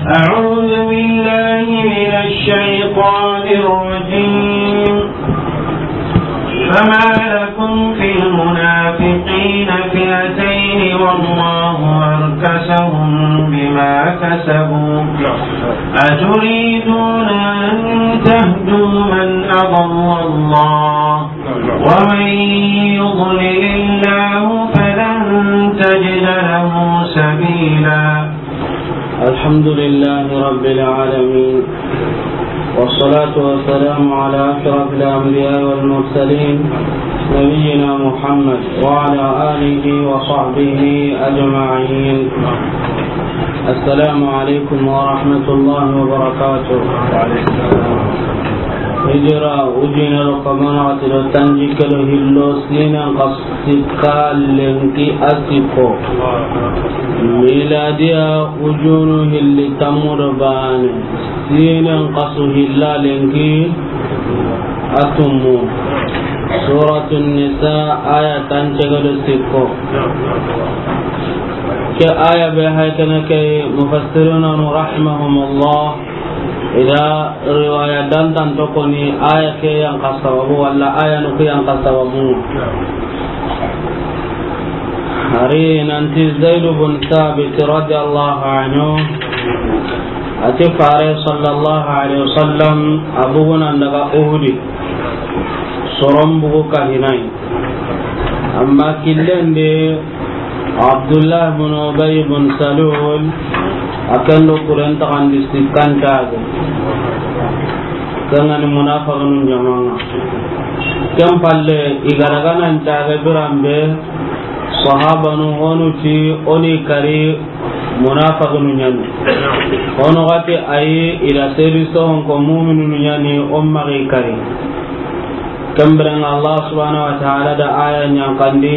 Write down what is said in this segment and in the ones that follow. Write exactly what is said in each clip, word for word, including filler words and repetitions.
أعوذ بالله من الشيطان الرجيم. فما لكم في المنافقين فئتين والله أركسهم بما كسبوا أتريدون أن تهدوا من أضل الله ومن يضلل الله فلن تجد له سبيلا. الحمد لله رب العالمين، والصلاة والسلام على أشرف الأنبياء والمرسلين، نبينا محمد وعلى آله وصحبه أجمعين. السلام عليكم ورحمة الله وبركاته. Hijira ujine do kamana wati do tanjikke do hillo sinan kas sikka lenki a sikko. Miladiya ujunu hilli tammu do bane. Sinan kasu hilla lenki a tummu. Suratun Nisa aya tancege do sikko. Ke aya be hay kene ke mufassiruna rahimahumullah. Ida riwaya dantan tokoni aya ke yanka sababu walla aya nuku yanka sababu. Hari nanti Zaid bin Thabit radiyallahu anhu ati fare sallallahu alaihi wasallam a bugunan daga Uhudi. Soron bugu kahinai. Amma killendi Abdullah bin Ubay bin Salul a ken do kuren taxandi sikkantage. Kengani munafiqinu jamanga. Ken palle i ga daga nan cage biranbe sahabanu honu ti o ni kari munafiqinu ɲani. Honu gati ayi i da sedi sohon ko mumininu ɲani o maxi kari. Kembirenga Allah subhanahu wa ta'ala da aya ɲankandi,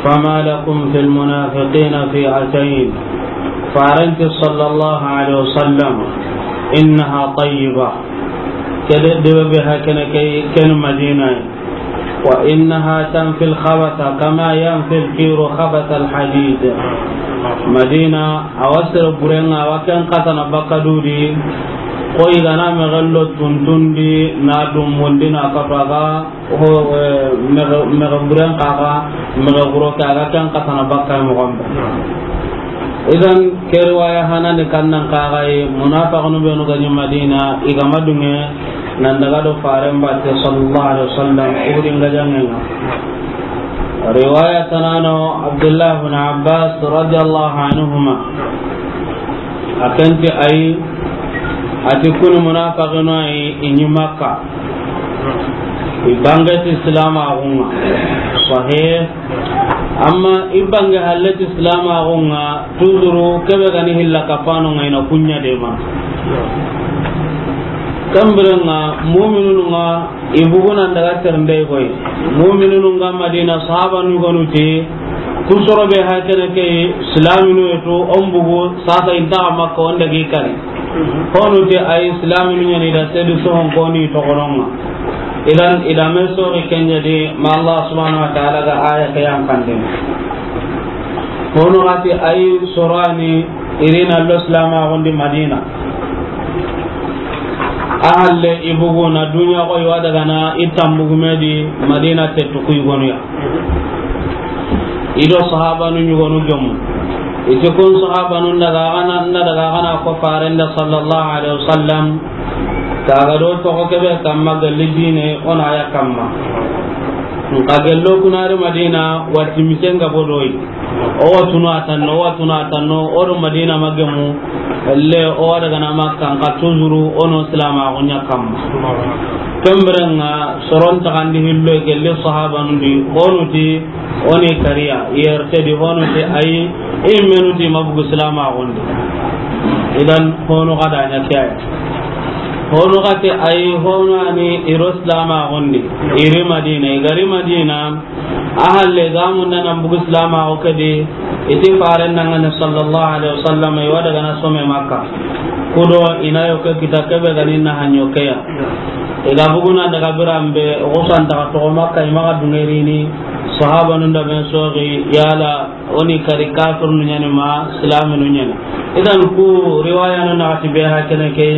فما لكم في المنافقين فئتين. Farenti sallallahu alaihi wasallam, إنها طيبة. Kede debe be hakene ke ken Madina. وإنها تنفي الخبث كما ينفي الكير خبث الحديد. Madina, a wa sere burenga, a wa ken katana bakka dudi. Ko i gana mexello tuntundi na dumbundi na kafaga. Ho, eh, mexe, mexe buren kaga, mexe guro ke a ga ken katana bakka moxon be. Idan ke riwaya hanani kannan kaga yi, munafiqunu benu ga ɲi Madina, i ga madunge nan daga do faren batte sallallahu alaihi wasallam, Uhudin ga jangenga. Riwaya tanano Abdullah bin Abbas radiyallahu anhuma. A kenti ayi, ati kuni munafiqinu ayi, i ɲi Makka. I bange ti silamaxunga. Sahih. Amma i bange halle ti silamaxunga, tuzuru kebe gani hilla kapanonga i na kuɲa dema. Kambirenga, muminununga, i bugunan daga terndey koy. Muminununga Madina, sahabanu gonu ti, kusoro be hakene ke, silaminu yetu, on bugu, sasa inta Makka, on dagi kari. Honu te ay silaminu ɲani da sedu sohon koni tokononga. Idan, ida me sori kenja di, ma Allah subhanahu wa ta'ala ga aya ke yan kandin. Honu gati ay sorani, irina lo silamaxundi Madina. A halle i bugu na duniya ko i wa daga na i tambugume di Madina te tuku i gonuya. I do sahabanu ɲugonu gemu. I ti kun sahabanu daga gana, na daga gana ko farenda sallallahu alaihi wasallam. Kaga do toxo kebe kamma galli dine ona ya kamma. Nka gello kunari Madina wati misenga bodoyi. O watunu a tanno, o watunu a tanno, o do Madina magemu, le o wa daga na Makka, nka tuzuru, o no silamaxu ɲa kamma. Kembirenga, soron taxandi hillo, gelli sahabanu di, honu ti, o ni kariya, yerte di, honu ti, ayi, i menu ti, mabugu silamaxundi. Idan, honu xa da ɲa ke ay. Honu xa ti, ayi, honu ani, i ro silamaxundi, i ri Madina, i ga ri Madina, A halle ga munda nan bugu silamaxu ke di, i ti faren dangane sallallahu alaihi wasallam, i wa daga na some Makka. Kudo i na yo ke kita kebe gani na hanyo ke ya. I ga bugu na daga biranbe, o xusanta ka toxo Makka, i maxa dungerini, Sahabanun da ben soxi, yala o ni kari kafirnu ɲa ni ma silaminu ɲa ni. Idan ku riwayanu naxati be ha kene ke,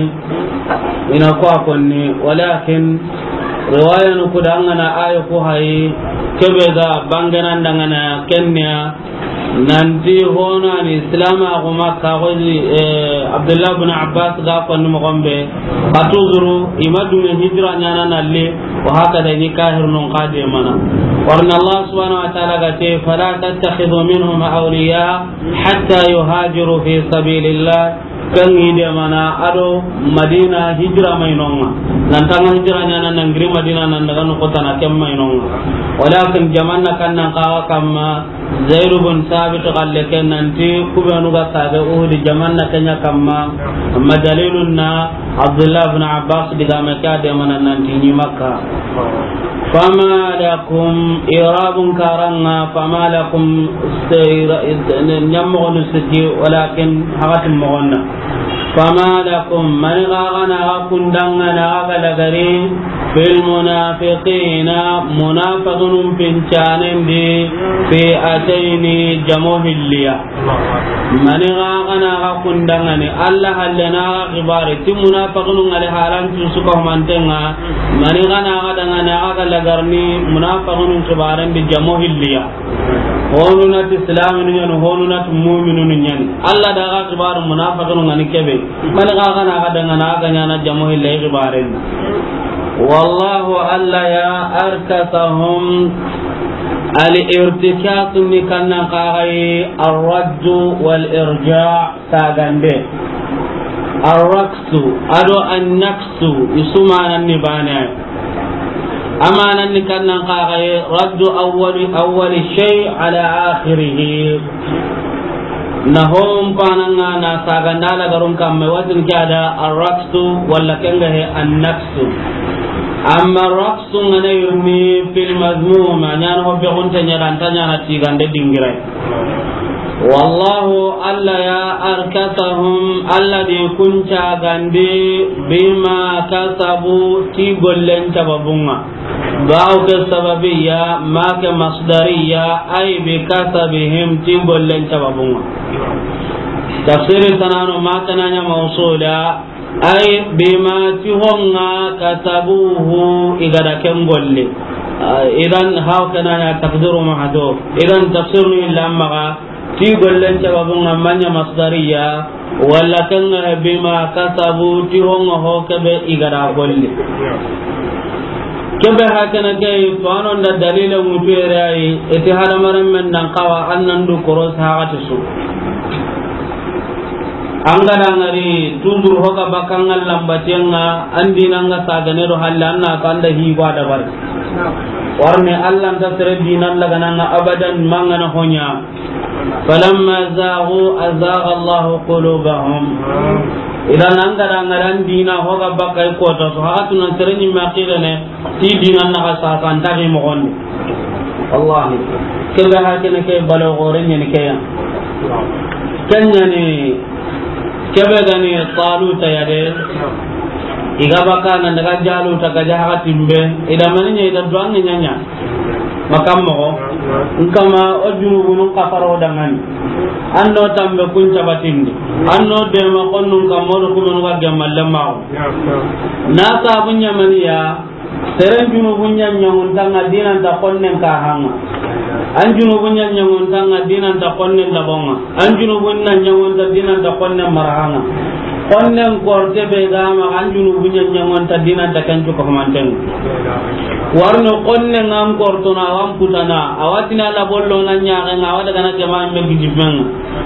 i na ku a konni, walakin riwayanu ku da an ga na ayo ku hayi, kebe ga bangenan da an ga na ken ya, nanti hono a ni silamaxu Makka, xo, eh, Abdullah bin Abbas ga konni moxon be, xa tuzuru, i ma duŋe hijira ɲaana na li, wa hakada i ni kahirnun xa demana. Warni Allah subhanahu wa ta'ala ga ti, "Fala tattakhidhu minhum awliya hatta yuhajiru fi sabilillah." Kan i demana a do Madina hijira ma i noŋa. Nan tanga hijira ɲaana nan giri Madina nan daga no kota na ken ma i noŋa. Walakin jamanna kan nan kawa kamma, Zaid bin Sabit galle ken nanti ku benu ga saage Uhud jamanna ken ɲa kamma, amma dalilun na Abdullah bin Abbas diga me ka demana nanti i ni Makka. Fama lakum, i'rabun karanga, fama lakum, ɲammoxonu siki, walakin hakatin moxonna. Fama lakum, mani xa ga na xa kundangana xa ga lagari, fil munafiqina, munafiqinun pincanen di, fi'atayni, jamo hilliya. Mani xa ga na xa kundangani, Allah halle na xa xibare, ti munafiqinun ŋa li halan tu su ka humantenga, mani xa na xa dangana xa ga lagarni, munafiqinun xibaren di jamo hilliya. Honu na ti islaminu ɲa ni, honu na ti muminunu ɲa ni. Allah da xa xibaru munafiqinu ŋa ni kebe. Mani xa ga na xa dangana xa ga ɲaana jamo hilla i xibaren. Wallahu, Allah ya, arkasahum, al-irtikas ni kannan xa ga yi, ar-raddu wal-irja, sagande. Ar-raksu, a do an-naksu, i su manan ni bane. A manan ni kannan xa ga yi, raddu awwali, awwali shay ala akhirih. Na hon pananga na saganda lagarun kamme, watin ke a da ar-raksu wala ken ga he an-naksu. Amma ar-raksu ŋa na yirni fil mazmum, a ɲaana ho be gunte ɲa dan ta ɲaana tigande dingirai. Wallahu, Allah ya, arkasahum, Allah di kun cagandi, bima kasabu, ti gollen sababunga. Bawo ke sababiya, ma ke masdariya, ay bi kasabihim, ti gollen sababunga. Tafsiri tanano ma tananya mawsula, ay bima ti honga kasabuhu, i ga da ken golle. Ah, idan haw kananya taqdiru mahdhuf. Idan tafsirnu illa maga, ti gollen sababunga ma ɲa masdariya, wala kanga bima kasabu, ti honga ho kebe i ga da golle. Kebe hakana ke, to anon da dalila mutu yere ay, iti hadamaren men nan kawa an nan du koros hagati su. An ga da ŋari, toujours hoga bakanga lambatenga, an dinanga sagane do halle, an na kanda hi gwa da bar. Warne Allah nta sere dinan lagananga abadan, mangana honya. Falamma zaghu azagha Allahu qulubahum. Idan an ga da ŋari an dina hoga bakay kota, so hagatu nan sere ni maqirene, ti dinan na xa sasa nta gi moxondi. Wallahi. Kebe hakene ke balo gore ɲeni ke ya. Ken ɲani kebe gani Taluta ya de. I ga bakana daga Jaluta ga jaha timbe. I da mani ɲa, i da duwangi ɲaɲa. Makam moxo. Nkama o junubunun kafaro dangani. Anno tambe kun cabatindi. Anno dema konnun kamodo kumenu ga gemmalle maxo. Na sabu ɲamaniya. Seren junubun ɲa ɲaŋuntanga dinanta konnen kahanga. An junubun ɲa ɲaŋuntanga dinanta konnen labonga. An junubun na ɲaŋunta dinanta konnen marahanga. Konnen korte be gama an junubun ɲa ɲaŋunta dinanta kencu kahumantenga. Warno konnen an kortona awan putana. Awatina labollo na ɲaxenga, awa dagana jama me gijimenga.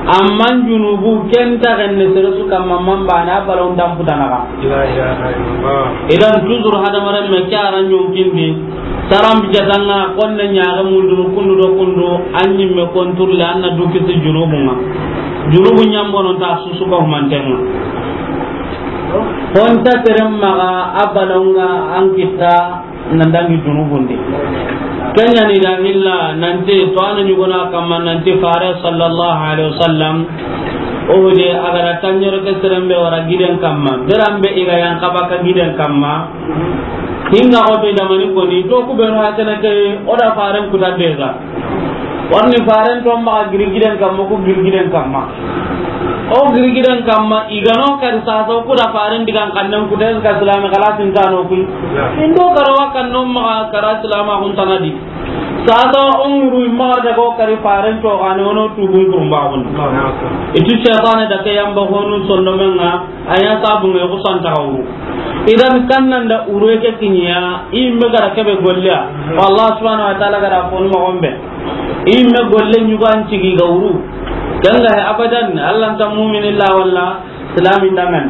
Amman junubu ken taxenne sere su kamma, man bane a balon dan putanaxa. La ilaha illallah. Idan toujours hadamaren me ke a ra ɲonkindi, saran bijatanga konne ɲaxe mundunu kundu do kundu, an ɲimme konturle, an na du kisi junubunga. Junubu ɲambono ta susu ka humantenga. Honta seren maxa a balonga an kitta nan dangi junubundi. Kenya ni da hilla nanti to anu ɲugona kamma nanti fare sallallahu alaihi wasallam. O de a ga da tanɲere ke serembe wara giden kamma. Berambe i ga yan kaba ka giden kamma. Hinga o be da mani koni to ku be no hakana ke o da faren kuta deza. Warni faren to maxa girgiden kamma, ku girgiden kamma. O girgiden kamma, i ga no kari sasa, o ku da faren digan xannen ku te ka silami xalasin kano ku. Indo karawa kan no maxa kara silama kun tanadi. Sasa o ŋuru i maxa daga o kari faren to xane, o no tugun kurumba kun. Itu shaytane da ke yamba honu sondomenga, a ya sabu nge ku santa xawru. Idan kan nan da uru ke kinya, i me gara kebe golliya. Wallah subhanahu wa ta'ala gara fonu mo gombe. I me golle ɲugo an cigi ga wuru. Ken ga he abadan, Allah nta mu'min illa walla silami dangan.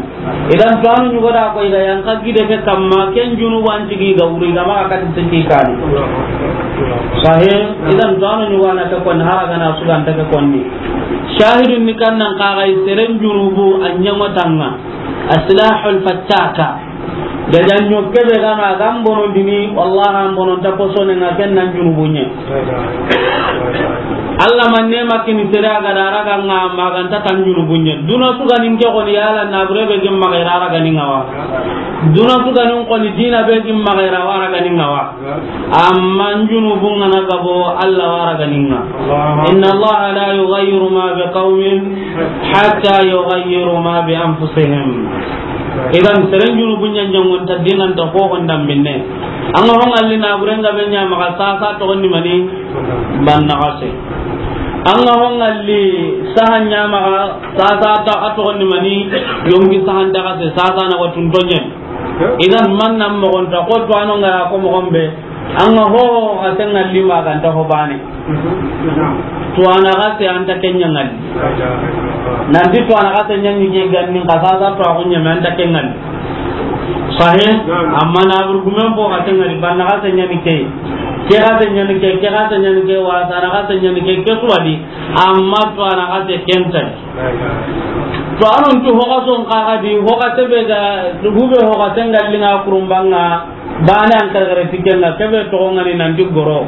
Idan to anu ɲugo da ko i ga yan ka gide ke kamma, ken junubu an cigi ga wuru, i ga ma ka ti siki kani. Sahih, idan to anu ɲugo na ta kon hara gana su ga ta ke konni. Shahidun ni kan nan ka ga seren junubu an ɲango tanga. Asilahul fattaka. Gajanɲo kebe gano a ga n bonondini, wallahi an bononta posone nga ken nan junubunɲe. Allah man nema kini sere a ga da raga nga ma ganta tan junubunɲe. Duna su ga nin ke xoni yala na bure be gim maxa i ra raga ni nga wa. Duna su ga nin xoni dina be gim maxa i ra wa raga ni nga wa. Amma junubun nga na gabo Allah wa raga ni nga. Inna Allah la yughayyiru ma bi qawmin hatta yughayyiru ma bi anfusihim. Idan seren junubu ɲanjangon ta dinan ta ko honda minne. An ga hongalli na burenga be ɲa maxa sasa to ni mani banna xase. An ga hongalli sahan ɲa maxa sasa ta to ni mani yonki sahan ta xase sasa na watun tonyen. Idan man nan mo gonta ko to ano ngara ko mo gombe. An ga ho ho xasen ŋalli ma ganta ho bane. Tuwana xase an ta kenya ŋalli. Nanti tuwana xase ɲani ke ganni xasa sa to a kunya me an ta ken ŋalli. Sahih. Amma na burgumen fo xase ŋalli, banna xase ɲani ke. Ke xase ɲani ke, ke xase ɲani ke, wasa na xase ɲani ke, ke suwadi. Amma tuwana xase ken ta. To anon tu ho xason xaxa di, ho xase be ga, hube ho xase ŋalli nga kurumbanga. Bane an karagare tikenga kebe toxo ngani nanti goro.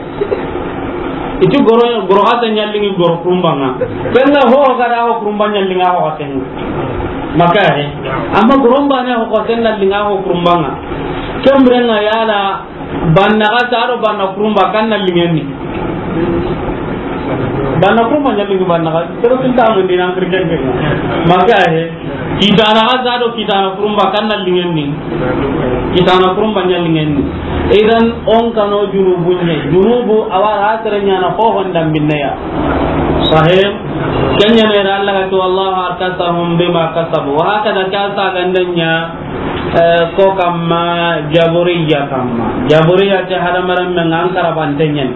Iti goro, goro xase ɲallingi goro kurumbanga. Kenga ho gara ho kurumba ɲallinga ho xasenga. Maka he. Amma goro bane ho xasenga linga ho kurumbanga. Kemrenga yala banna xase ado banna kurumba kan na lingenni. Banna kurumba ɲallingi banna xase. Sero tinta mo dinan kirken. Maka he. Kitana xase ado kitana kurumba kan na lingenni. Kitana kurumba ɲa lingenni. Idan on kano junubu ɲa. Junubu awa ra sere ɲana ho honda minneya. Sahih. Kenya ne da Allah ga to, "Wallahu arkasahum bima kasabu." Wa hakada ka sagandenya, eh, ko kamma jaburiya kamma. Jaburiya te hadamaran men an karabante ɲen.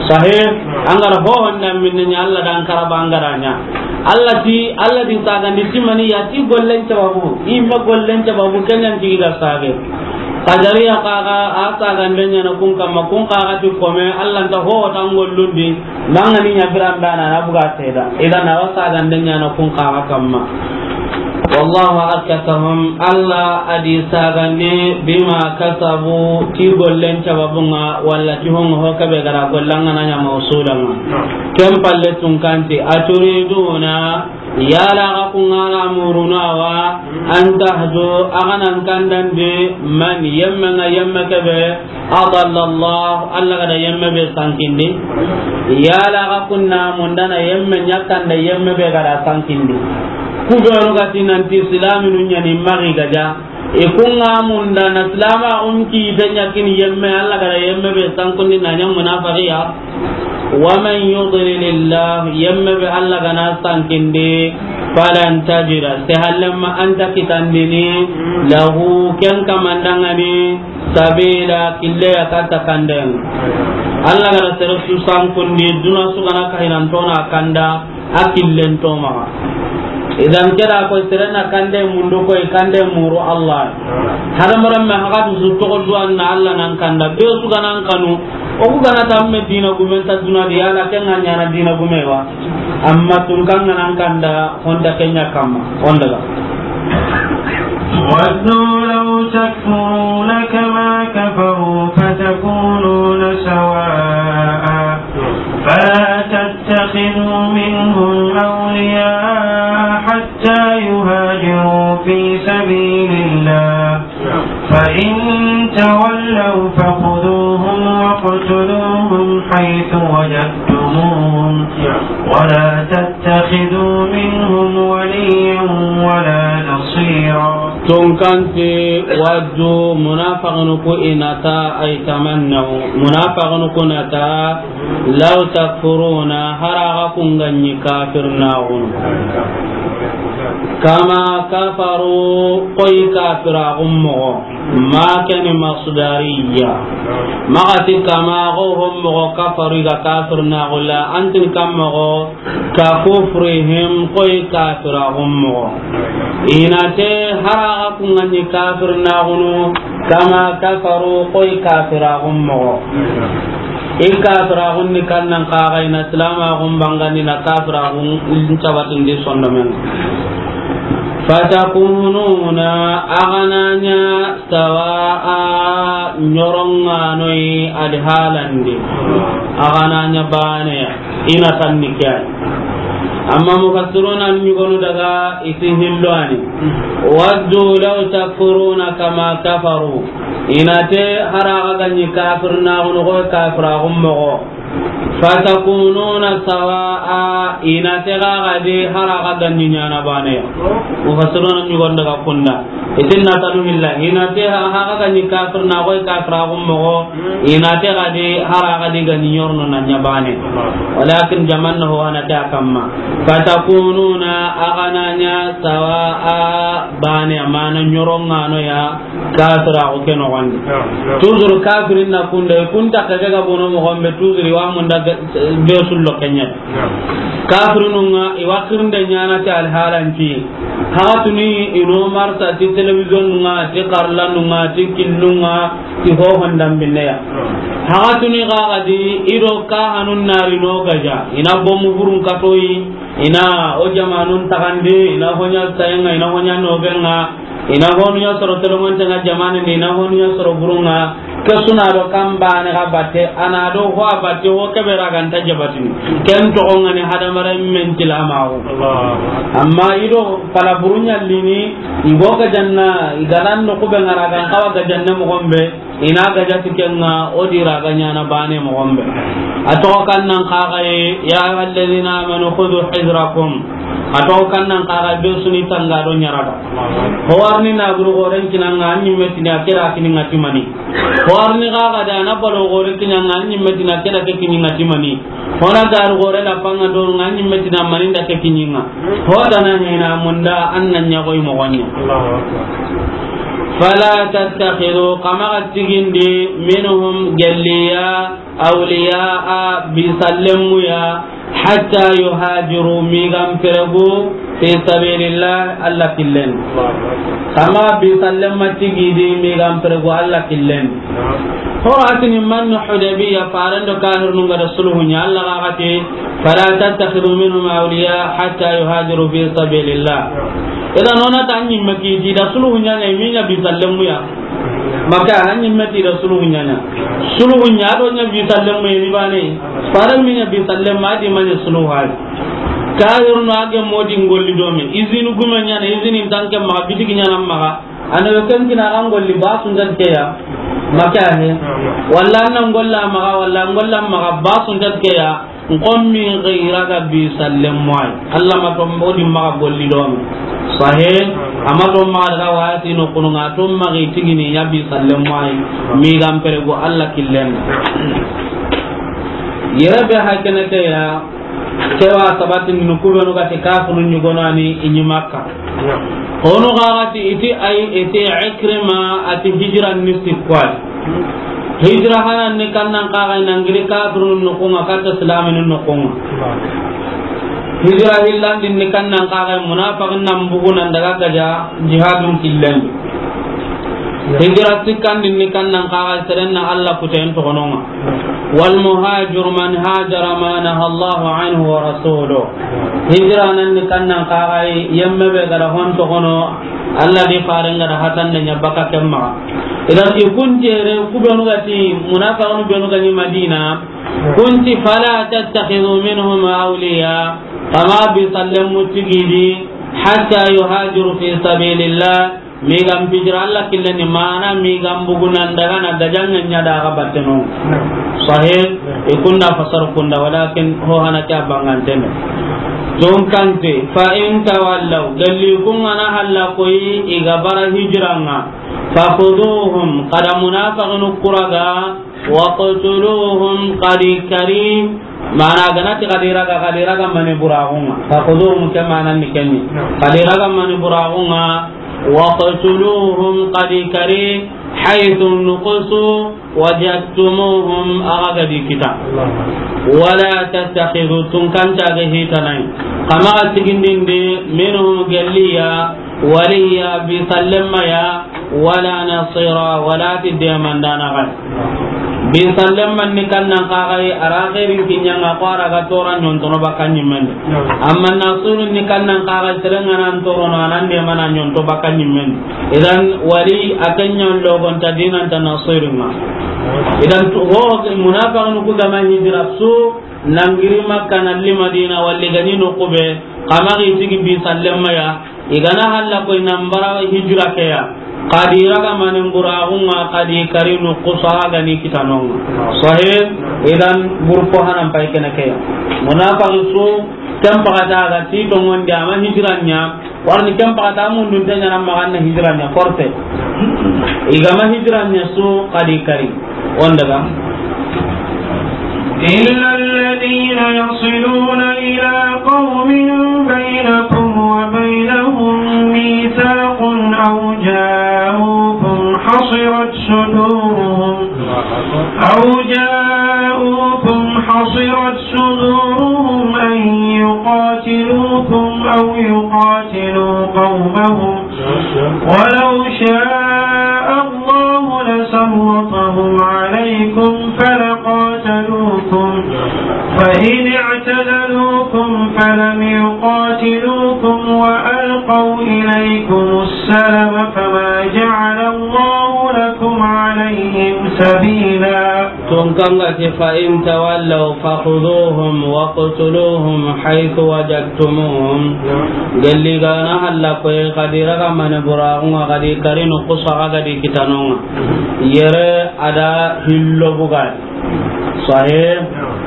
Sahih, an gara ho honda minne ɲa Allah dan karaba an gara ɲa. Allah ti, Allah di sagandi ti mani ya ti gollen sababu, imma gollen sababu kenyan ti ga sage. Qadariya kaga a sagande ɲana kun kamma, kun kaga ti kome Allah nta ho tan gollundi, mangani ɲa birandana na buga seda. Idan a wa sagande ɲana kun kaga kamma. Wallahu arkasahum, Allah adi sagandi bima kasabu, ti gollen sababunga, walla ti hongo ho kabe gara gollanga na ɲa mausulanga. Ken palle tunkanti, aturiduna, yala ga kungana muruna wa, an tahdu, aganan kandande, man yemma nga yemma kabe, adalla Allah, Allah gada yemme be sankindi. Yala ga kunna mundana yemme ɲakanda yemme be gada sankindi. Kubenu gati nanti silaminu ɲani magi gaja. Ikunga mundana silama un ki te ɲakini yemme, Allah gada yemme be sankundi na ɲam munafiqiya. Wa man yudlilillah, yemme be Allah gana sankindi, falan tajida, se hallemma anta kitandini, lahu, ken kamandangani, sabila, kille ya kata kanden. Allah gada sere su sankundi, duna su gana kahinantona kanda, a killen to maxa. Idan keda ko serena kande mundu koy kande muru Allah. Hadamaran me haga du su togo duwan na Allah nan kanda. Be su ganan kanu. O ku gana tamme dina gumen ta duna di ala ken ŋa ɲana dina gume wa. Amma tun kan nan kanda honda kenya kamma. Honda ga. ودوا لو تكفرون كما كفروا فتكونون سواء فلا تتخذوا منهم أولياء حتى يهاجروا في سبيل الله فإن تولوا فخذوهم واقتلوهم حيث وجدتموهم ولا تتخذوا منهم وليا ولا نصيرا. Tunkanti waddu munafiqinu ku i na ta ay tamannaw. Munafiqinu ku na ta law takfuruna haraga kunganyi kafirnaxunu. Kama kafaru koy kafiraxun moxo. Ma keni masdariya. Maxati kama xo hon moxo kafaru i ga kafirnaxu la, antin kan moxo ka kufrihim koy kafiraxun moxo. I na te haraga kunganyi kafirnaxunu, kama kafaru koy kafiraxun moxo. I kafiraxun ni kannan kaga i na silamaxun bangandi na kafiraxun cabatindi sondomen. Fatakununa agananya sawa'a ñoronganoyi adi halandi. Agananya baneya i na tanni ke ay. Amma mufassiruna ni ñugonu daga i ti hillo ani. Waddu law takfuruna kama kafaru. I na te haraga ganyi kafirnaxunu koy kafiraxun moxo. Fatakununa sawa'a, i na te ga gadi haraga ganyi ñana baneya. Mufassiruna ñugon daga kunda. I ti na tanu hilla. I na te haraga ganyi kafirnaxu koy kafiraxun moxo. I na te gadi haraga di ganyi ñorno na ña bane. Walakin jamanna ho a na te a kamma. Fatakununa agananya sawa'a baneya mana ñoronganoya. Kafiraxu ke noxondi. Naam, naam. Toujours kafirin na kunda, i kunta ke ga bono moxon be, toujours i wa munda ga-, be sullo kenya. Naam. Kafirinun ŋa, i wa xirinde ñana ti alhalanci. Haxatuni i no marsa ti télévision nun ŋa, ti xarlanun ŋa, ti killun ŋa, ti hohon dambinne ya. Naam. Haxatuni xa gadi i do kahanun nari no gaja. I na bomu burun katoyi, i na o jamanun taxandi, i na hoña sayenga, i na hoña nobenga. I na honu ña soro tolomonte ŋa jamaane ni, i na honu ña soro burun ŋa. Ke su na do kan baane ga batte, a na do ho a batte, ho ke be ra ga nta jabatini. Ken toxo ŋa ni hadamaren men tilamaxu. Allahu Akbar. Amma i do pala burun ñallini, i go gajanna, i ga nan no kube ŋa ra ga n xawa gajanne moxon be, i na gajati ken ŋa, o di ra ga ñana baane moxon be. A toxo kan nan xaxaye, ya ayyuhallazina amanu khudhu hidrakum. A toxo kan nan xaxaye be su ni tanga do ñaraga. Ho warni na guru goren kinanga an ñimme tini a kira kini ŋa ti mani. Ho warni ga ga da na balo gore kinanga an ñimme tini a kira ke kini ŋa ti mani. Ho na garu gore la panga do ŋa an ñimme tini a mani nda ke kini ŋa. Ho dana hena munda an na ña goy moxon ña. Allahu Akbar. Fala tattakhidhu, kama ga tigindi, minhum, gelliya, awliya'a, bisallemuya, hatta yuhajiru, migan peregu, fi sabilillah, Allah killen. Kama bisallemma tigidi, migan peregu, Allah killen. Horo atini man Hudaybiya, farando kahirnun ga da sulhu ña, Allah ga gati, fala tattakhidhu minhum awliya hatta yuhajiru fi sabilillah. Idan ona ta ñimme kiti da sulhu ña ña, i mi ña bisallemuya. Maka, an ñimme ti da sulhu ñaña. Sulhu ña do ña bi sallem me ni bane. Fara mi ña bi sallem ma di manya sulhu hay. Ka yorno age modi ngolli do me. Izinu gume ñana, izini tanke ma bitigi ñana ma. Ana yo ken kina an golli ba sun dat ke ya. Maka he. Walla nan golla ma, walla golla ma ba sun dat ke ya. Nkommi gira ga bi sallem moy. Allah ma to mbodi maxa golli do me. Sahe, ama to maxa daga wasi no kunu nga to maxi tigini ya bi sallem moy. Mi gam pere go Allah killen. Yere be hakene ke ya, kewa sabatin nu kubenu ga ti kafunu ñugonani i ñi Makka. Hono ga ga ti iti ay, iti Ikrima ati hijran ni sikkwai. Hijra hanan ni kannan kaga nangiri kafirun nukunga katta islamin nukunga. Hijra hillandin ni kannan kaga munafiqin nan bugu nan daga gaja jihadun killen. Hijra sikkandin ni kannan kaga serenna Allah kuten togononga. والمهاجر من هاجر ما نهى الله عنه ورسوله. Hijra nan ni kannan kaga yemme be gara hon togono Allah di faren gara hatan da ña baka kemma. Idan i kunti ere kubenu ga ti munafiqun benu ga ni Madina. Kunti fala tattakhidhu minhum awliya. Kama bi sallem mutigidi hatta yuhajiru fi sabilillah. Mi ga n pijira Alla killen di, mana mi ga n bugu nan daga na gajaŋe ɲa da ga batte no. Sahih, i kunda fasar kunda, walakin ho hana ke a bangantene. Tun kante, fa in tawallaw, galli kun ŋa na halla koyi i ga bara hijira ŋa, fa khuduhum, xa da munafiqinu ku raga, waqtuluhum, xa di kari, mana ga na ti xa di raga, xa di raga mani buraxu ŋa. Fa khuduhum ke mana ni ken ni. Xa di raga mani buraxu ŋa, waqtuluhum, xa di kari, haythu nuqisu wajadtumuhum, a ga ga di kita. Wala tattakhidhu, tun kanta ga hitanayi. Xa maxa sigindindi, minhum, galli ya, waliya, bi sallemma ya, wala nasira, wala ti demandana ga. Bi sallemma ni kannan xa ga yi, a ra xeerin kiɲa ŋa, ko a ra ga tora ɲontono baka ɲimmen di. Amma nasiru ni kannan xa ga yi, sere ŋa nan torono, a nan demana ɲonto baka ɲimmen di. Idan wali a ke ɲa logonta dinanta nasiru ŋa. Idan tu, ho, munafiqinu ku ga ma hijira su, nan giri Makka na li Madina, walli ga ɲi noqu be, xa maxa i sigi bi sallemma ya, i ga na halla koyi nan bara hijira ke ya, xa di raga mani buraxu ŋa, xa di kari noqu su, a ga ni kita no ŋa. Sahih, idan groupe hanan pay kene ke ya. Munafiqinu su, ken paxata ga ti tonŋundi a ma hijira ɲa, Warni ken paxata mundun te ɲaana maxa na hijira ɲa forcé. I ga ma hijira ɲa su xa di kari. On daga. إلا الذين يصلون إلى قوم بينكم وبينهم ميثاق أو جاءوكم حصرت صدورهم أو جاءوكم حصرت صدورهم أن يقاتلوكم أو يقاتلوا قومهم ولو شاء الله لسلطهم عليكم فلقاتلوكم فإن اعتزلوكم فلم يقاتلوكم وألقوا إليكم السلم فما جعل الله لكم عليهم سبيلا. Tun kan ga ti, فإن تولوا فخذوهم واقتلوهم حيث وجدتموهم. Gelli ga na halla koy, xa di raga mane buraxu ŋa, xa di kari noqu su, xa ga di kita no ŋa. Yere a da hillo bugadi. Sahih,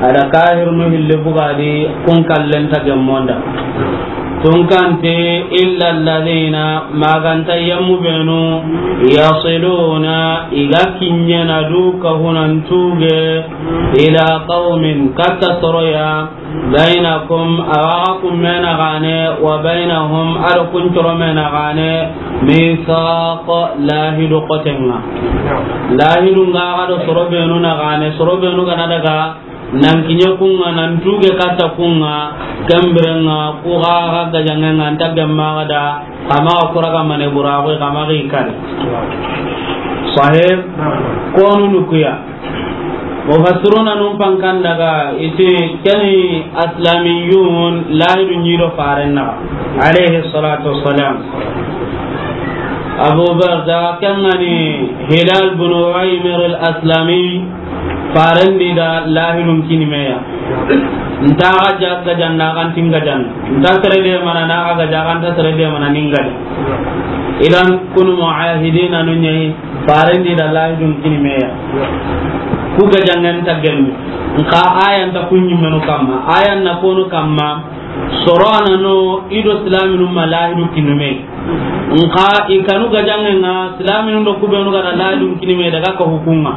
a da kahirunu hilli bugadi, kun kallen ta gemmonda. Tun kante, إلا الذين, maganta yemmu benu, يصلون, i ga kiɲena du ka hunan tuge, إلى قوم, katta soro ya, بينكم, a wa ga kun me na gane, وبينهم, a do kun coro me na gane, ميثاق, lahidu xoten ŋa. Lahidu ŋa ga do soro benu na gane, soro benu ga na daga nan kiɲe kun ŋa, nan tuge katta kun ŋa, ken biren ŋa, ku ga ga gajaŋen ŋa, an ta gemma ga da, xa maxa ku raga mane buraxu, xa maxa i kari. Sahih, konu nukuya. Mufassiruna nun pankan daga, i ti keni aslamiyun, lahidu ɲi do faren naxa, alayhi salatu wassalam. Abu Barda, ken ga ni Hilal bin Uwaymir al-Aslami, faren di da lahidun kini me ya. Nta ga ja-, gajanna kan tin gajan. Nta sere de mana na ga gaja kan ta sere de mana nin gaja. Idan kunu muahidina nun ɲa yi, faren di da lahidun kini me ya. Ku gajanŋen ta gemmi. Nka ayan ta kun ɲimmenu kamma. Ayan na konu kamma. Soro a na no i do silaminu ma lahidu kinu me. Nka i kanu gajanŋen ŋa, silaminu do ku benu ga da lahidun kini me daga ka hukunŋa.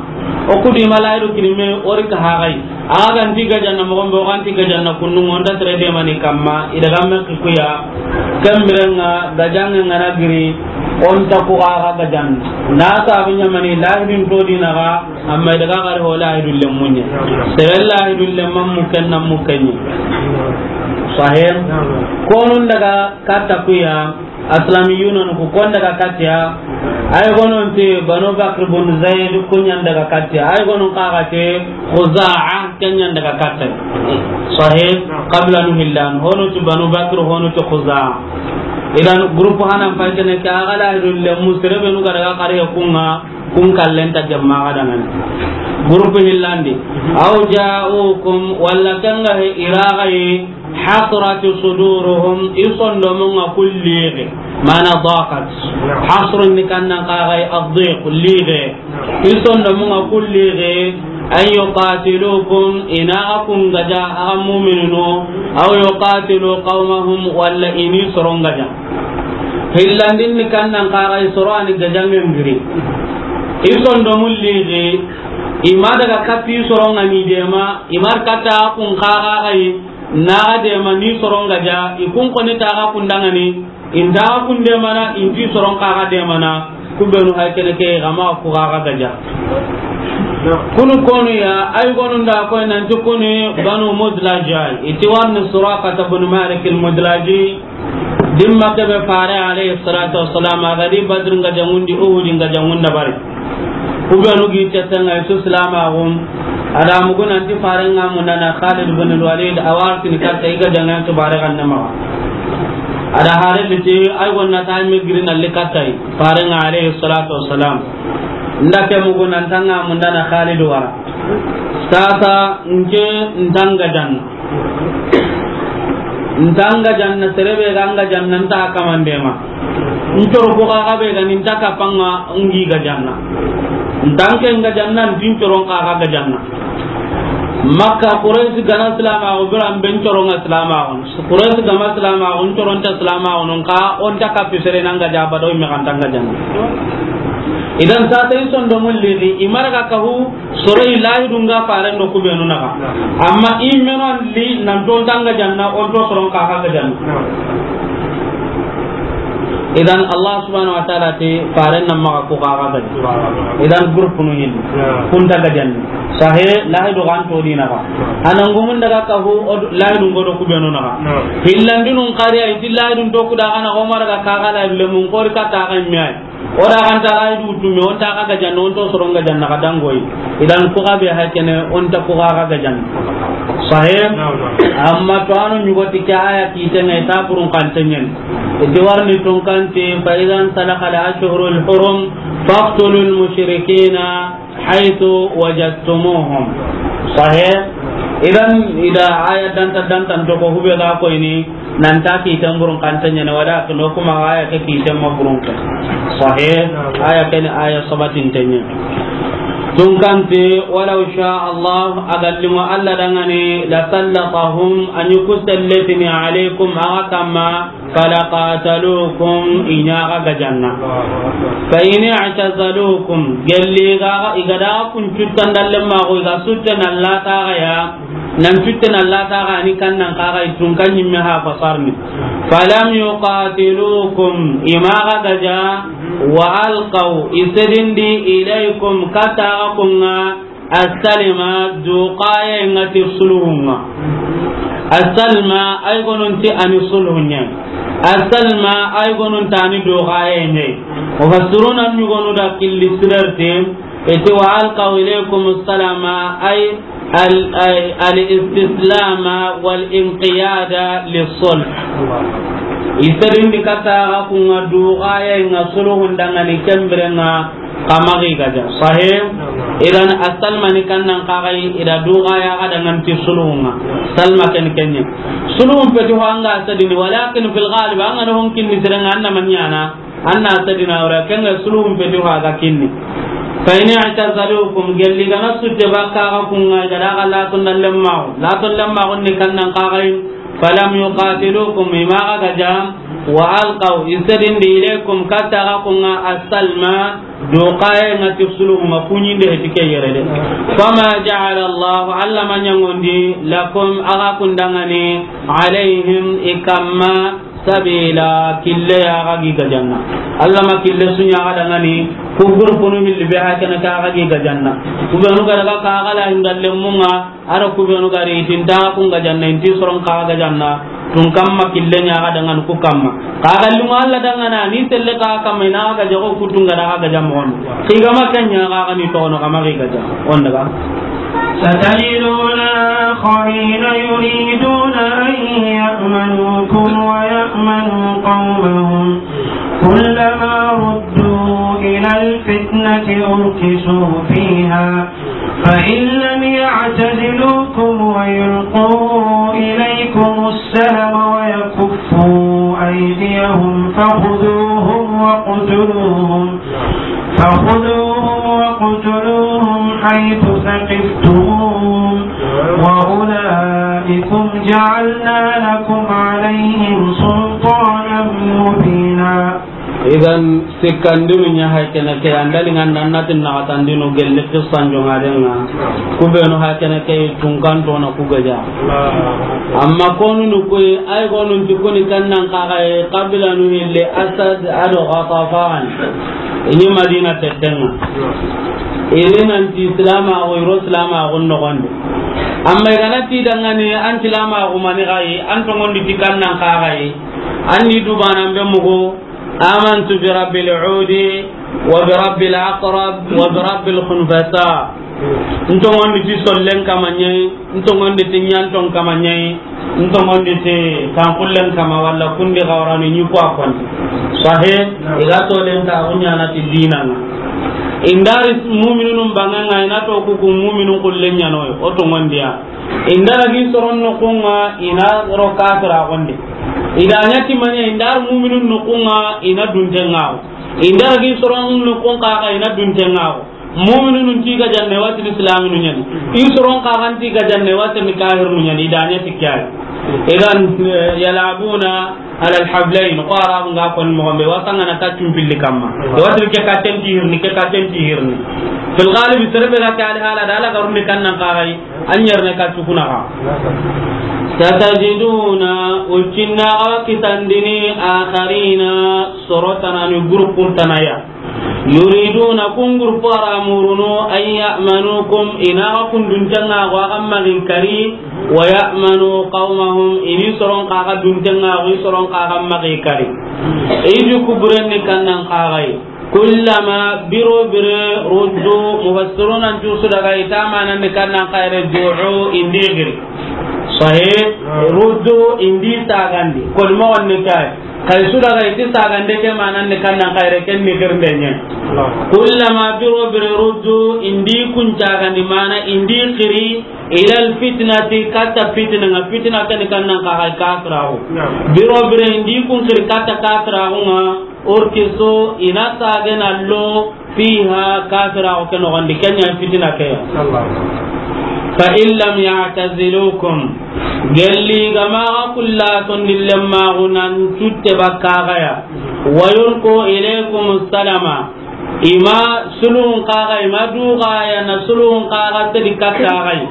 O ku di ma lahidu kini me, o ri ka haxay. A ga nti gajanna moxo be, o ga nti gajanna kundu ŋa, o nta sere demani kamma, i daga me ki kuya. Ken biren ŋa, gajanŋen ŋa na giri, o nta ku xa ga gajanna. Na sabu ɲamani lahidun to di na ga, amma i daga gari ho lahidun lemmun ɲa. Sere lahidun lemman mukken na mukken ɲa. Sahih. Konun daga katta kuya. Aslamiyuna nu ku, kon daga katiya. Ay gonon ti Banu Bakr bun Zaid, ku ɲan daga katiya. Ay gonon kaga ti Khuza'a, ken ɲan daga katiya. Sahih, qabila nu hillan. Honu ti Banu Bakr, honu ti Khuza'a. Idan groupe hanan pay kene ke, a ga lahidun lemmu, sere benu ga daga kariya kun ŋa, kun kallen ta gemma ga dangani. Groupe hillandi. Aw ja'ukum, walla ken ga he i ra ga yi, Hasrati suduruhum, i sondomun ŋa ku lixe, mana daqat. Hasrun ni kannan kaxay addiq, lixe. I sondomun ŋa ku lixe, an yuqatilukum, i na xa kun gaja, axa muminunu, aw yuqatilu qawmahum, walla i ni soron gaja. Hillandin ni kannan kaxay soro ani gajangen giri. I sondomun lixe, i ma daga katti soron ŋa ni dema, i ma katta kun kaxay, na xa dema ni soron gaja, i kun koni ta xa kun dangani, i nta xa kun demana, i nti soron xa xa demana, ku benu hay kene ke, xa ma ku xa xa gaja. Kunu konu ya, ay gonu nda koy nanti kuni Banu Mudlaji, i ti warni Suraqata bin Malik al-Mudlaji, dimma ke be Fare alayhi salatu wassalam, a ga di Badr nga jangundi, Uhud nga jangunda bari. Ku benu gi tetenga su silamaxu, a da mugu nanti Faren ŋa mundana Khalid bin Walid, a wa ritini katta i ga jangan tu bare ganna ma. A da hare liti, ay gonna ta me giri na li katta i Faren ŋa alayhi salatu wassalam. Nda ke mugu nan ta ŋa mundana Khalid wara. Sasa nke nta nga janna. Nta nga janna, sere be ga nga janna, nta kamande ma. Ncoro ku xa xa be ga ni nta kapanga ngi ga janna. Nta nke nga janna, nti ncoro xa xa ga janna. Makka Quraysh gana silamaxu, biran be ncoro nga silamaxu. Quraysh gama silamaxu, ncoro nta silamaxu, non ka o nta kapi sere na nga jaba do me kan ta nga janna. Idan sasa i sondomun lixe, i ma daga kahu, soro i lahidun ga Faren do ku benu naxa. Amma i meno an li nan to nta nga janna, o nto soron xa xa ga janna. Idan Allah subhanahu wa ta'ala ti Faren nan maxa ku xa xa ga janna. Idan groupe nu hin. Kun ta ga janna. Sahe, lahidu ga nto di naxa. Anan gumun daga kahu, o lahidun go do ku benu naxa. Hillandinun xari ay ti lahidun to ku da xa na, o ma daga xa xa lahidu le mun xori katta xa mi ay. O da xa nta lahidu tu me, o nta xa ga janna, o nto soron ga janna xa dangoyi. Idan ku xa be hay kene, o nta ku xa xa ga janna. Sahe? Amma to anu nyugo ti ke aya kite ngai ta burun kantenyen. I ti warni tun kanti, fa idan salakha al-ashhurul hurum, faqtulul mushrikina haythu wajadtumuhum. Sahe? Idan ida aya danta danta to ko hube ga ko ini, nan ta kiten burun kantenyen, wala to no kuma aya ke kiten ma burun ka. Sahe? Aya ke ni aya sabatin tenyen. Tun kanti, walaw sha Allah, a ga limo Allah dangani, la sallatahum, a ni ku selletini alaykum, a ga kamma, falaqatalukum, i ɲa xa ga janna. Fa in i'tazalukum, gelli ga, i ga da kun cuttan dalle ma ko, i ga sutte na lata ga ya, nan cutte na lata ga ni kannan xa ga i tun kan nyimme ha fasarni. Falam yuqatilukum, i ma xa ga ja, wa alqaw, i sedindi ilaykum, katta ga kun ŋa, Assalima, duxaye ŋa ti sulhun ŋa. Assalma, ay gonun ti ani sulhun ɲa. Assalma, ay gonun ti ani duxaye ɲa. Mufassiruna ɲugonu da killi sirarte, ete wa alqaw ilaykum assalama, ay al, ay al istislama wal inqiyada lis sulh. Isedindi katta ga kun ŋa duxaye ŋa sulhun dangani kembiren ŋa. Xa ma xi ga ja. Sahih? Idan, assalma ni kannan xa ga i da duxaya ga dangan ti sulhun ŋa. Salma ken kenye. Sulhun peti ho an ga sedini, walakin fil ghalib, an ga na hon kinni sere ŋa, an na ma ɲana, an na sedina wala, ken ga sulhun peti ho a ga kinni. Fa in i'tazalukum, gelli ga na sutte bakka ga kun ŋa, i ga da ga laton lemmaxu. Laton lemmaxu ni kannan xa ga i, falam yuqatilukum, i ma xa ga ja, wa alqaw, i sedindi, ilaykum, katta ga kun ŋa, assalma, duxaye ŋa ti sulhun ŋa, kuɲinde heti ke yere de. Fama ja'ala Allah, Allah ma ɲangondi, lakum, a ga kun dangani, alayhim, i kamma, sabila, kille ya ga gi ga janna. Allah ma kille su ɲa ga dangani, ku gurpunu hilli be ha kene ka ga gi ga janna. Ku be nu ga daga ka ga la hinda lemmun ŋa, Ara ku benu ga ri, i ti nta kun ga janna, i nti soron xa ga janna, tun kamma kille ɲa ga dangan ku kamma. Xa ga limu Allah dangana, ni selle xa kamma, i na ga jago ku tun ga da ga ja mo on. Xi ga ma ken ɲa ga ni toxo no xa ma xi ga ja. On daga. ستجدون آخرين يريدون أن يأمنوكم ويأمنوا قومهم كلما ردوا إلى الفتنة أركسوا فيها فإن لم يعتزلوكم ويلقوا إليكم السلام فخذوهم واقتلوهم، فخذوهم واقتلوهم حيث ثقفتموهم، وأولئكم جعلنا لكم عليهم سلطانا مبينا. Idan, sikkandinu ɲa hay kene ke, an da liŋa nan na ti naxatandinu gelli qissan joŋaden ŋa. Ku benu hay kene ke tunkanto na ku gaja. Amma konu nu koy, ay konu ti kuni kannan kaxaye, qabilanu hille Asad ado Ghatafan. I ni Madina tettenŋa. I ri nan ti Islamaxu, i ro Islamaxu noxondi. Amma i ga na ti dangani an Islamaxu mani xayi, an toŋondi ti kannan kaxaye. An ni dubanan be mugu, آمنت برب العود وبرب العقرب وبرب الخنفساء. N toŋondi ti sollen kama ɲa yi, n toŋondi ti ɲanton kama ɲa yi, n toŋondi ti tankullen kama, walla kundi xawaranu ɲi ku a koni. Sahe, i ga tolen ta, a ku ɲaana ti diina ŋa. I ndari muminunun banŋen ŋa, i na to ku ku muminun kullen ɲaana yi, o toŋondiya. I ndara gi soron noxun ŋa, i na ro kafiraxun di. I da ɲa ti mani, i ndar muminun noxun ŋa, i na dunten ŋa. I ndara gi soron noxun kaxa, i na dunten ŋa. Muminun ti ga janne, wa ti ni islaminu ɲa ni. I soron kaxa ti ga janne, wa ti ni kafirinu ɲa ni. I da ɲa ti ke ya yi. Idan, eh, yalabuna على الحبلين, ko Arabu nga ko mo be, wa sanga na kaccun pilli kamma. Wa ti ke kaccen ti hirni, ke kaccen ti hirni. Fil ghalib, sere be ga ke ali hala da, ala garundi kannan kaxayi, an yerni kaccu kuna xa. ستجدون, o cinna xa kitandini, آخرين, soro tanani, groupe tanaya. يريدون, kun groupe ra murunu, أن يأمنوكم, i na xa kun dunten ŋa, xa xa maxi kari, ويأمنوا قومهم, i ni soron xa xa dunten ŋa, i soron xa xa maxi kari. I ju kuburen ni kannan kaxayi. كلما, biro bire, ردوا, mufassiruna ntu su daga i ta manan ni kannan kaxayi, du'u, i ndi giri. Sahe, ردوا, i ndi sagandi. Kol mo wonni kay. Kay su daga i ti sagande ke manan ni kannan kaxayi, ken ni girnde ɲa. كلما, biro bire, ردوا, i ndi kun sagandi, mana i ndi xiri, إلى الفتنة, katta fitina ŋa, fitina ke ni kannan kaxayi kafiraxu. Biro bire i ndi kun xiri katta kafiraxu ŋa, أركسوا, i na sagena lo, فيها, kafiraxu ke noxondi, ken ɲa fitina ke ya. فإن لم يعتزلوكم, gelli ga ma xa kulla tondillen maxu nan cutte bakka xa ya. ويلقوا إليكم السلم, i ma sulhun kaxa, i ma duxaya na sulhun kaxa sedi katta xa yi.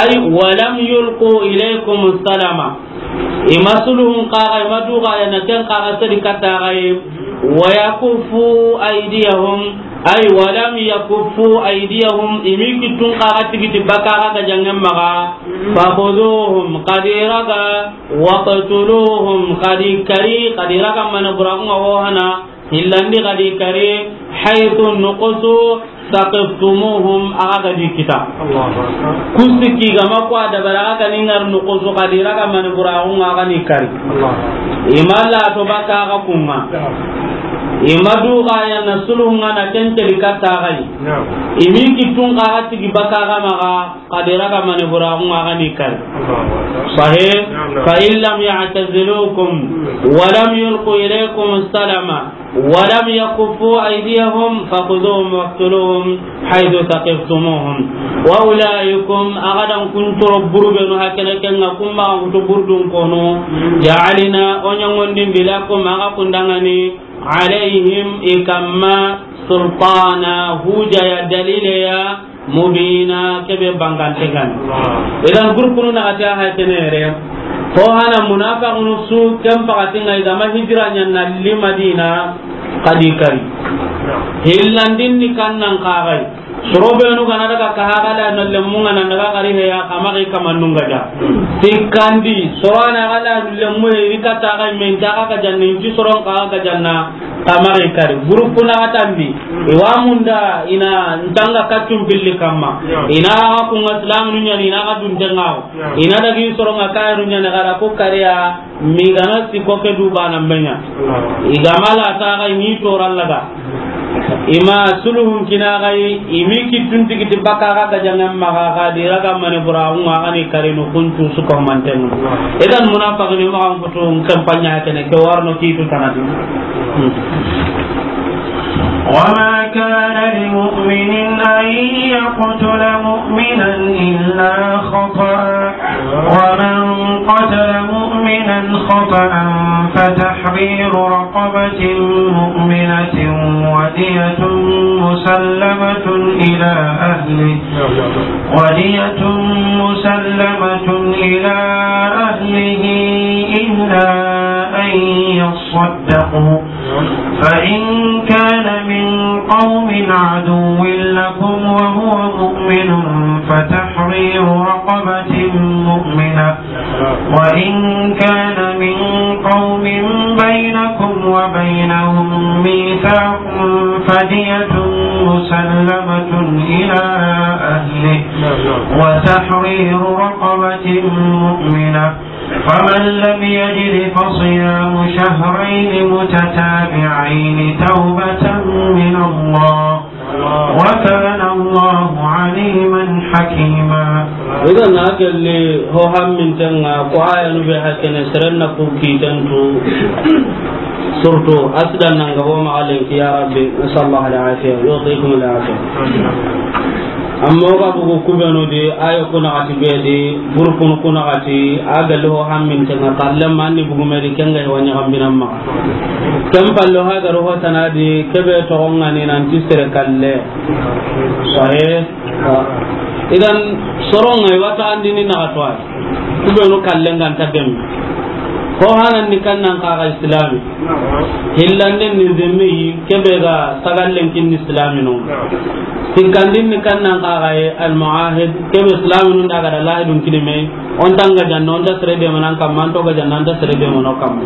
Ay, ولم يلقوا إليكم السلم. I ma sulhun kaxa, i ma duxaya na ken kaxa sedi katta xa yi. ويكفوا أيديهم. Ay, ولم يكفوا أيديهم. I mi kittun kaxa tigiti bakka xa ga jangen maxa. فخذوهم, xa di raga. واقتلوهم, xa di kari, xa di raga mane buraxun ŋa wo hana. Hillandi xa di kari, حيث, noxo su, ثقفتموهم, a xa ga di kita. Ku sikki ga ma ku a dabari, a xa ga ni ŋari noxo su, xa di raga mane buraxun ŋa, a xa ni kari. I ma la to bakka xa kun ŋa. I ma duxaya na sulhun ŋa na ken teli katta xa yi. I mi kittun xa xa tigi bakka xa maxa. Xa di raga mane buraxun ŋa, a xa ni kari. Sahe, فإن لم يعتزلوكم ولم يلقوا إليكم السلم ولم يكفوا أيديهم فخذوهم واقتلوهم حيث ثقفتموهم. وأولئكم, a ga dan kun toro burubenu hakene ken ŋa, kun maxa kutu burdun kono. جعلنا, o ɲangondindi, لكم, a ga kun dangani, عليهم, i kamma, سلطانا, hujja ya, dalile ya, مبينا, kebe bangante gani. Idan groupe nu na ati a hay tenere. Ko hana munafiqunu su ken pakati ŋa i ga ma hijira ɲa na li Madina, xa di kari. Hillandin ni kannan kaxayi. Soro benu ga na daga ka haga la no lemmu ŋa na daga kari he ya, xa maxi kamannun ga da. Sikkandi, soro na ga la lemmu he, i katta xa men ta xa ga janni, ti soron xa ga janna. Xa maxi kari. Groupe na xa tambi. I wa munda i na ntanga kaccun pilli kamma. I na xa kun ŋa islaminu ɲa ni, i na xa dunten ŋa wo. I na dagi soron ŋa kayiru ɲa ni, xa ra ko kariya, mi ga na sikko ke du bana me ɲa. I ga ma la ta xa i ni toran laga. I ma sulhun kini a ga yi, i mi kittun tigiti baka ga gajaŋen maxa, xa di raga mani bura ŋa, a ga ni karinu kuncu su ko manten. Idan munafiqini maxa n kutu n kampanya kene ke warno kitu tanadi. وما كان لمؤمن أن يقتل مؤمنا إلا خطأ، ومن قتل مؤمنا خطأ فتحرير رقبة مؤمنة ودية مسلمة إلى أهله، ودية مسلمة إلى أهله إلا أن يصدقوا، فإن كان من قوم عدو لكم وهو مؤمن فتحرير رقبة مؤمنة، وإن كان من قوم بينكم وبينهم ميثاق فدية مسلمة إلى أهله وتحرير رقبة مؤمنة، فمن لم يجد فصيام شهرين متتابعين توبة من الله، وكان الله عليما حكيما. Idan na kelle ho hamminten ŋa, ko ayanu be hakene seren na ku kiten tu. Surtout asidan nan ga ho ma alen ki, ya Rabbi, nasallallahu al-afiya, yu'tikum al-afiya. Amma o ga bugu kubenu di, ayo kuna ati be di, gurupun kuna ati, a ga lo hamminten ŋa, kalle manni bugu me di, ken ga wanya gambinan ma. Ken pallo ha ga ro ho tanadi, kebe to ngani nan ti sere kalle. Sahe. Idan soron ŋa i wata andini na gatwa. Kubenu kallen ga nta gemme. Ho hanan ni kannan ka ga islami. Hillanden ni zemmi, kebe ga sagallen kin islami no. Sikkandin ni kannan ka ga al muahid, kebe islami no daga da lahidun kinime. On ta nga janna, on ta sere de manan kamma, on to ga janna, on ta sere de mano kamma.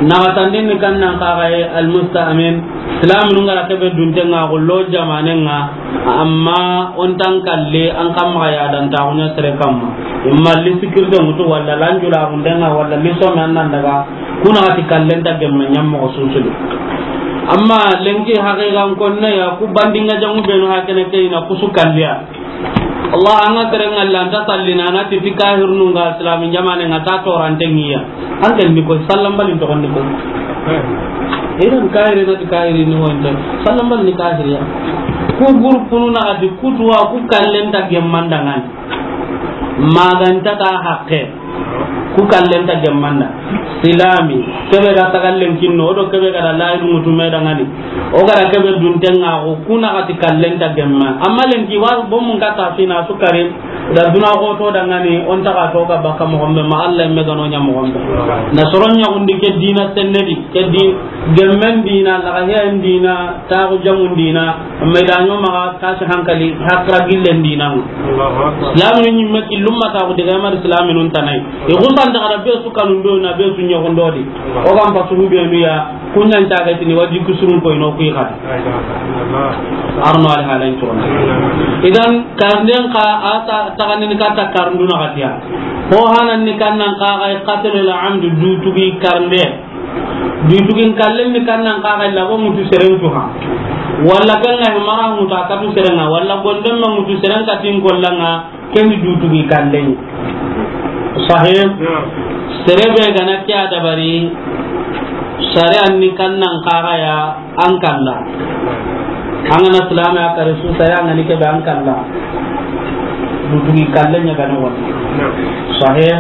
Na gatandin ni kannan ka ga al musta'min, islami no ngara kebe dunten ŋa, gollo jamanen ŋa. Amma on ta kalle an kamma ya dan ta hunya sere kamma. Imma li sikirde mutu walla lanjula hundenga walla li some annan daga kuna ati kallen ta gemme nyammo susulu. Amma lenki haqiqan konne ya ku bandinga jamu benu hakene ke ina kusu kalliya. Allah anga sere ngalla anta sallina na ti kahirnu nga islami jamane nga ta torante ngiya. An ken ni ko sallam balin to ni ko. Idan kahiri na ti kahiri ni wonde. Sallam balin ni kahiriya. Ku gurupunu na ati kutuwa ku kallen ta gemmandangan. Maganta ta haqqe. Ku kallen ta gemmanda. Silami, kebe ga tagallen kinno, o do kebe ga da lahidu mutu me dangani. O ga da kebe dunten ŋa, o kuna gati kallen ta gemma. Amma lenki wa bomun ka ta fina sukari, da duna ko to dangani, on ta ga to ga baka mo gombe, ma Allah me gano nya mo gombe. Na soron nya undi ke dina sennedi, ke di gemmen dina, la ga hen dina, ta ko jamun dina. Amma i da ɲo maxa kasi hankali, hakra gillen dinan. Allahu Akbar. Islaminu ɲimme killum ma taxu diga mari islaminun tanai. I xusan daga da be su kanun do na be su ɲoxon do di. O gam pa sugu be nu ya, kunyan ta ga tini wadi kusurun ko ino kui xa. La ilaha illallah. Arno al halan to. Idan karnden ka ata taganin ka ta karnduna gatiya. Ho hanan ni kannan ka ga qatl al amd dutugi karnde. Dutugin kallen ni kannan ka ga labo mutu seren tu ha. Walla kan ga mara mutu a katu seren ŋa, walla gonden ma mutu seren katin kollan ŋa, ken dutugi kallen. Sahih. Sere be gana kiya dabari, sare an ni kannan ka ga ya an kalla. An gana silame a kare su sare an gani kebe an kalla. Dutugi kallen ɲa gana wani. Sahih.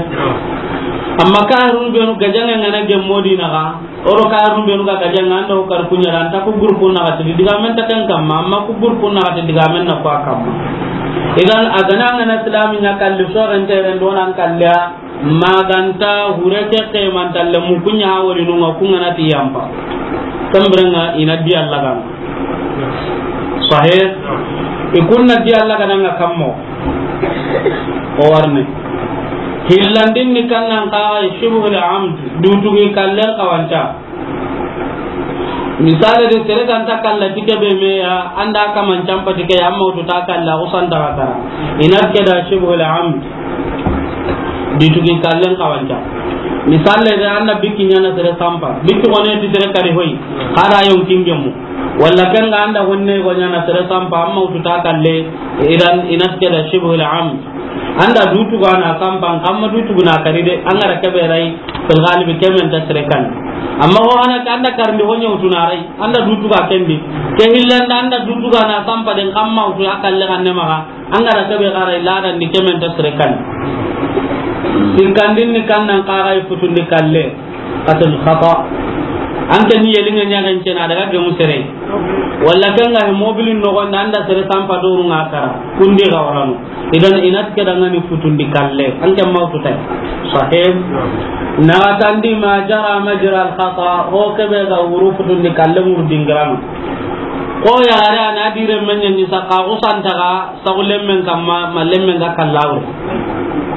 Amma kahirun benu gajange ngana gemmo di naga, oro kahirun benu ga gajange anda o kar kunya anta ku gurupun na gati digamen ta kan kamma, amma ku gurupun na gati digamen na kwa kamma. Idan a gana ngana silami ɲa kalli so ren tere ndo nan kalliya, maganta hure ke ke man talle mu kunya ha wori nunga kunga na ti yampa. Tambrenga ina di Allah gana. Sahih. Ikunna di Allah gana nga kammo. O warne. Hillandin ni kannan ka shibhul amd, dutugi kallen kawanta. Misale de sere ganta kalla tike be me ya, anda kaman campa tike ya, amma utu ta kalla, usan ta kara. Ina ke da shibhul amd. Dutugi kallen kawanta. Misale de anda biki ɲana sere sampa. Biki kone ti sere kari hoy. Kada yon kingemu. Walla ken ga anda honne go ɲaana sere sampa, amma wutu ta kalle, idan i na ti ke da shibhul amd. Anda dutu ga na sampa, amma dutu na kari de, an ga ra ke be rai, fil ghalib ke men ta sere kan. Amma ho hana ka anda karndi ho ɲa wutu na rai, anda dutu ga kendi. Ke hillanda anda dutu ga na sampa den, amma wutu a kalle kan ne maxa. An ga ra ke be xara i ladan di ke men ta sere kan. Sikkandin ni kan nan xara i futundi kalle. Qatlul khata. An ke ni yelinŋe ɲaxen cena daga gemu sere. Walla ken ga he mobilin noxon da anda sere sampa doru ŋa kara. Kundi ga warano. Idan i na ti ke da ŋa ni futundi kalle. An ke ma wutu tay. Sahih. Naxatandi ma jara majra al khata. Ho ke be ga wuru futundi kalle ŋuru dingirano. Ko yaxare a na dire men ɲa ni saka ko santaga. Sagu lemmen kamma, ma lemmen ga kalla wure.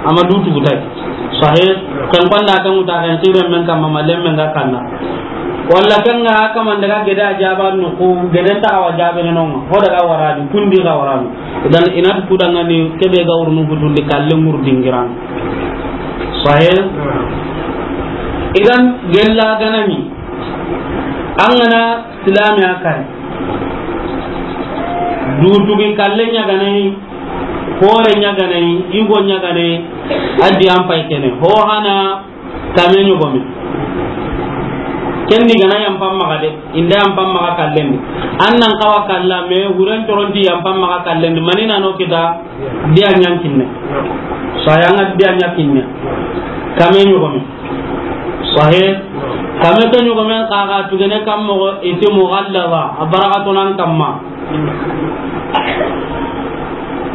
Amma dutu gutai. Sahih, kan kwanda kan wuta kan sire men kamma, ma lemmen ga kalla. Walla kan ga haka man daga geda jaba no ku, geden ta awa jabe no, ho daga waradi, kundi ga warano. Idan i na ti ku da ŋa ni ke be ga wurunu futundi kalle ŋuru dingiran. Sahih. Idan gella ga na ni. An ga na silami a kari. Dutugi kalle ɲaganai, hore ɲaganai, yugo ɲaganai, a di an pay kene. Ho hana kame ɲogome. Ken ni ga na yampan maxa de, inda yampan maxa kallen di. An nan xawa kalla me, huren toronti yampan maxa kallen di. Mani na no kita, di a ɲan kinne. Saya ŋa di a ɲa kinne. Kame ɲogome. Sahih. Kame ke ɲogomen xa ga tugene kam moxo i ti mughallaba, a baraka tonan kamma.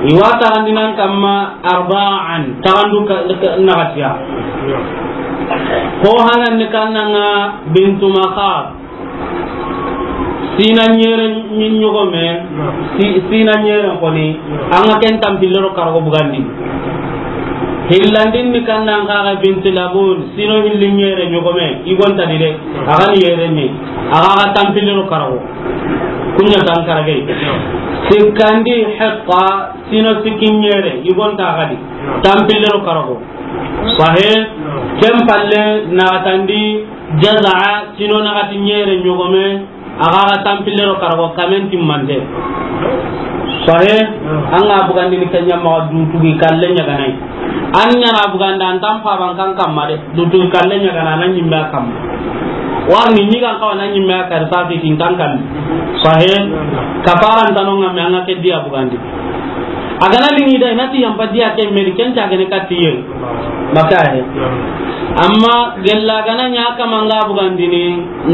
I wa taxandinan kamma arba'an, taxandu ka, ka, naxatiya. Ho hanan ni kannanga bintu Makhad. Sina ɲere ɲi-, ɲogome, si-, sina ɲere koni, an ga ken tampille ro karago bugandi. Hillandin ni kannan kaga binti Labun, sino hilli ɲere ɲogome, i gonta di de, a ga ni yere ni, a ga ga tampille ro karago. Kunya tan karage. Sikkandi Hiqqa, sino sikki ɲere, i gonta a ga di, tampille ro karago. Sahih, ken palle naxatandi Jaza'a, sino naxati ɲere ɲogome, a ga ga tampille ro karago kamen timmante. Sahih, an ga bugandini kenya ma dutugi kalle ɲaganai. An ɲana buganda an tan paban kan kamma de, dutugi kalle ɲagana na ɲimme a kamma. Warni ɲigan kawa na ɲimme a kari sasi tin tan kan. Sahih, kafaran tanonga me an ga ke diya bugandi. A ga na liŋi da, i na ti yampa diya ke meri, ken ta gene katiye. Maka he. Amma gella ga na ɲa kama nga bugandini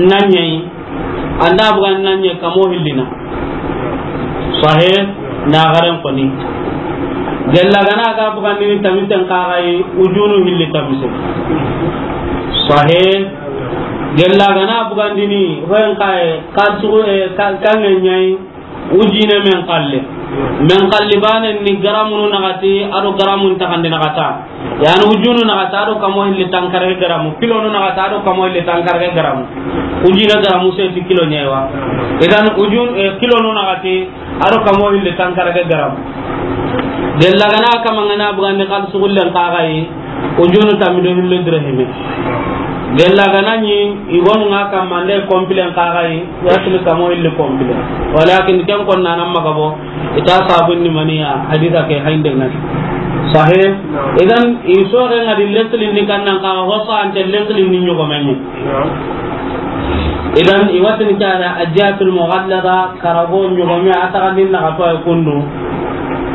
na ɲei. Anda bugandini na ɲei kamo hillina. Sahih, na garen koni. Gella ga na ga bugandini tamisen kagai ujunu hilli tamise. Sahih. Gella ga na bugandini hoyen kaye, ka sugu, eh, ka, ka ŋeɲai. Ujine men kalle. Men kalli banen ni garamunu naxati, ado garamun taxandi naxata. Yani ujunu naxata, ado kamo hilli tankarage garamu. Kilonu naxata, ado kamo hilli tankarage garamu. Ujine garamu seti kilo ɲewa. Idan ujun, eh, kilonu naxati, ado kamo hilli tankarage garamu. Gella ga na kama nga na bugandi xal sugullen kagai. Ujunu tammi do hilli dirhimi. Gella ga na ɲi, i gonu nga kamma nde kompilen kagai, yasli kamo hilli kompilen. Walakin ken kon na nan maga bo, i ta sabun ni maniya, hadisa ke hainde ngati. Sahih. Idan, i soxe nga di lesli ni kannan kaga, hosa ante lesli ni ɲogomenye. Idan, i watini ke a da ajiyatul mughallada, karago ɲogome a taxandin naxato ay kundu.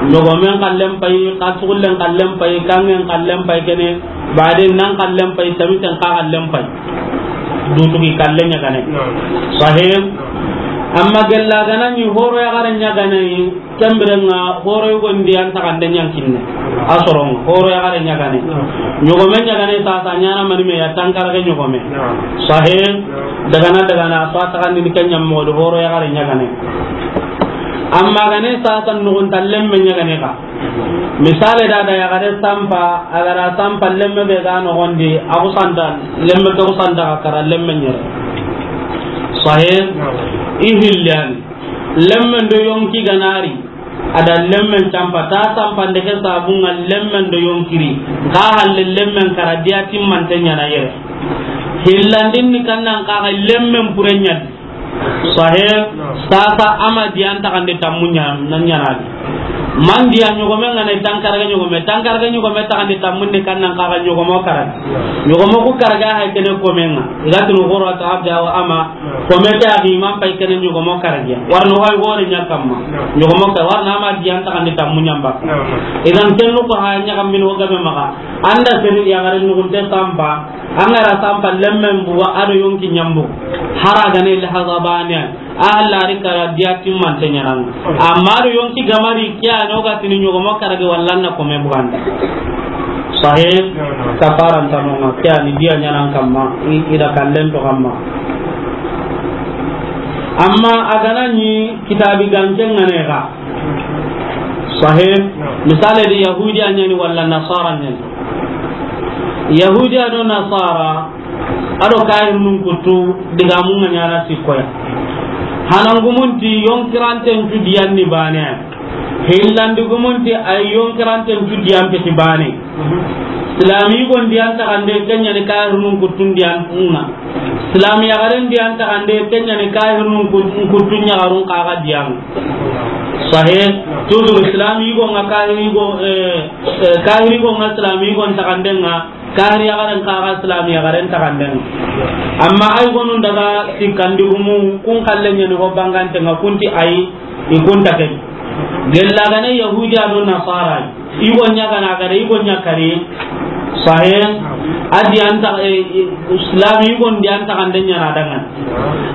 Ɲogomen kallen pay, ka sugullen kallen pay, kangen kallen pay kene, baden nan kallen pay, tamiten ka kallen pay. Dutugi kalle ɲagane. Sahih. Amma gella ga na ɲi horo yaxare ɲagane yi, Kembirenga horo yugondi an taxande ɲankinne. A soronga horo yaxare ɲagane. Ɲogome ɲagane sasa ɲana manime ya tankarage ɲogome. Sahih. Dagana dagana so a taxandini ke ɲammoxo do horo yaxare ɲagane. Amma gane sasa nuxunta lemme ɲagane ka. Misale da da yaxare sampa, a ga ra sampa lemme be ga noxondi, a xusanta, lemme ke xusanta ka kara lemme ɲere. Sahih. I hillani. Lemmen do yonki ganari, a da lemmen campa, ta sampande ke sabunga lemmen do yonkiri, ka halle lemmen kara diya timmante ɲana yere. Hillandin ni kannan kaga lemmen pure ɲadi. Sahih. Sasa a ma diyan taxandi tammu ɲa-, na ɲaana di. Man diya ɲogome ŋa na tankarage ɲogome, tankarage ɲogome taxandi tammu ni kan nan kaga ɲogomo karagi. Ɲogomo ku karaga hay kene kome ŋa. I ga tunu xoro ta abda wa ama. Kome ta axi man pay kene ɲogomo karagiya. Warno hay gore ɲa kamma. Ɲogomo ka warna a ma diyan taxandi tammu ɲamba. Idan kennu ko ha ɲa kam min ho gabe maxa. Anda seri ya gare nugunte sampa. An ga ra sampa lemmen buga a do yonki ɲambu. Hara gane lahaza bane. A lari kara diya timmante ɲaana. Amma do yonki gamari kiya no ga tini ɲogomo karage walla na kome buganda. Sahih. Kafaran tanonga kiya ni diya ɲaana kamma. I, i da kallen to kamma. Amma a ga na ɲi kitabi ganke ŋa ne ga. Sahih. Misale di Yahudiya ɲa ni walla Nasara ɲa ni. Yahudiya do Nasara a do kahirnun kuttu digamun ŋa ɲaana sikkoya. Hanangumunti yonkiranten cu diyan ni bane. Hillandigumunti ay yonkiranten cu diyan peti bane. Silami gon diyan taxande kenya ni kahirnun kuttun diyan ŋa. Silami yaxaren diyan taxande kenya ni kahirnun kut-, kuttun yaxarun kaga diyan. Sahih. Toujours silami gon ŋa kahiri gon, eh, eh, kahiri gon ŋa silami gon taxande ŋa. Kahiri yaxaren kaga silami yaxaren taxanden. Amma ay gonun daga sikkandigumu kun kallen ɲa ni ho bangante ŋa kunti ay i kunta ke. Gella gane Yahudiya do Nasara. I go ɲa gana gare i go ɲa kare. Sahih. A diyan ta, eh, eh, silami i gon diyan taxande ɲaana dangan.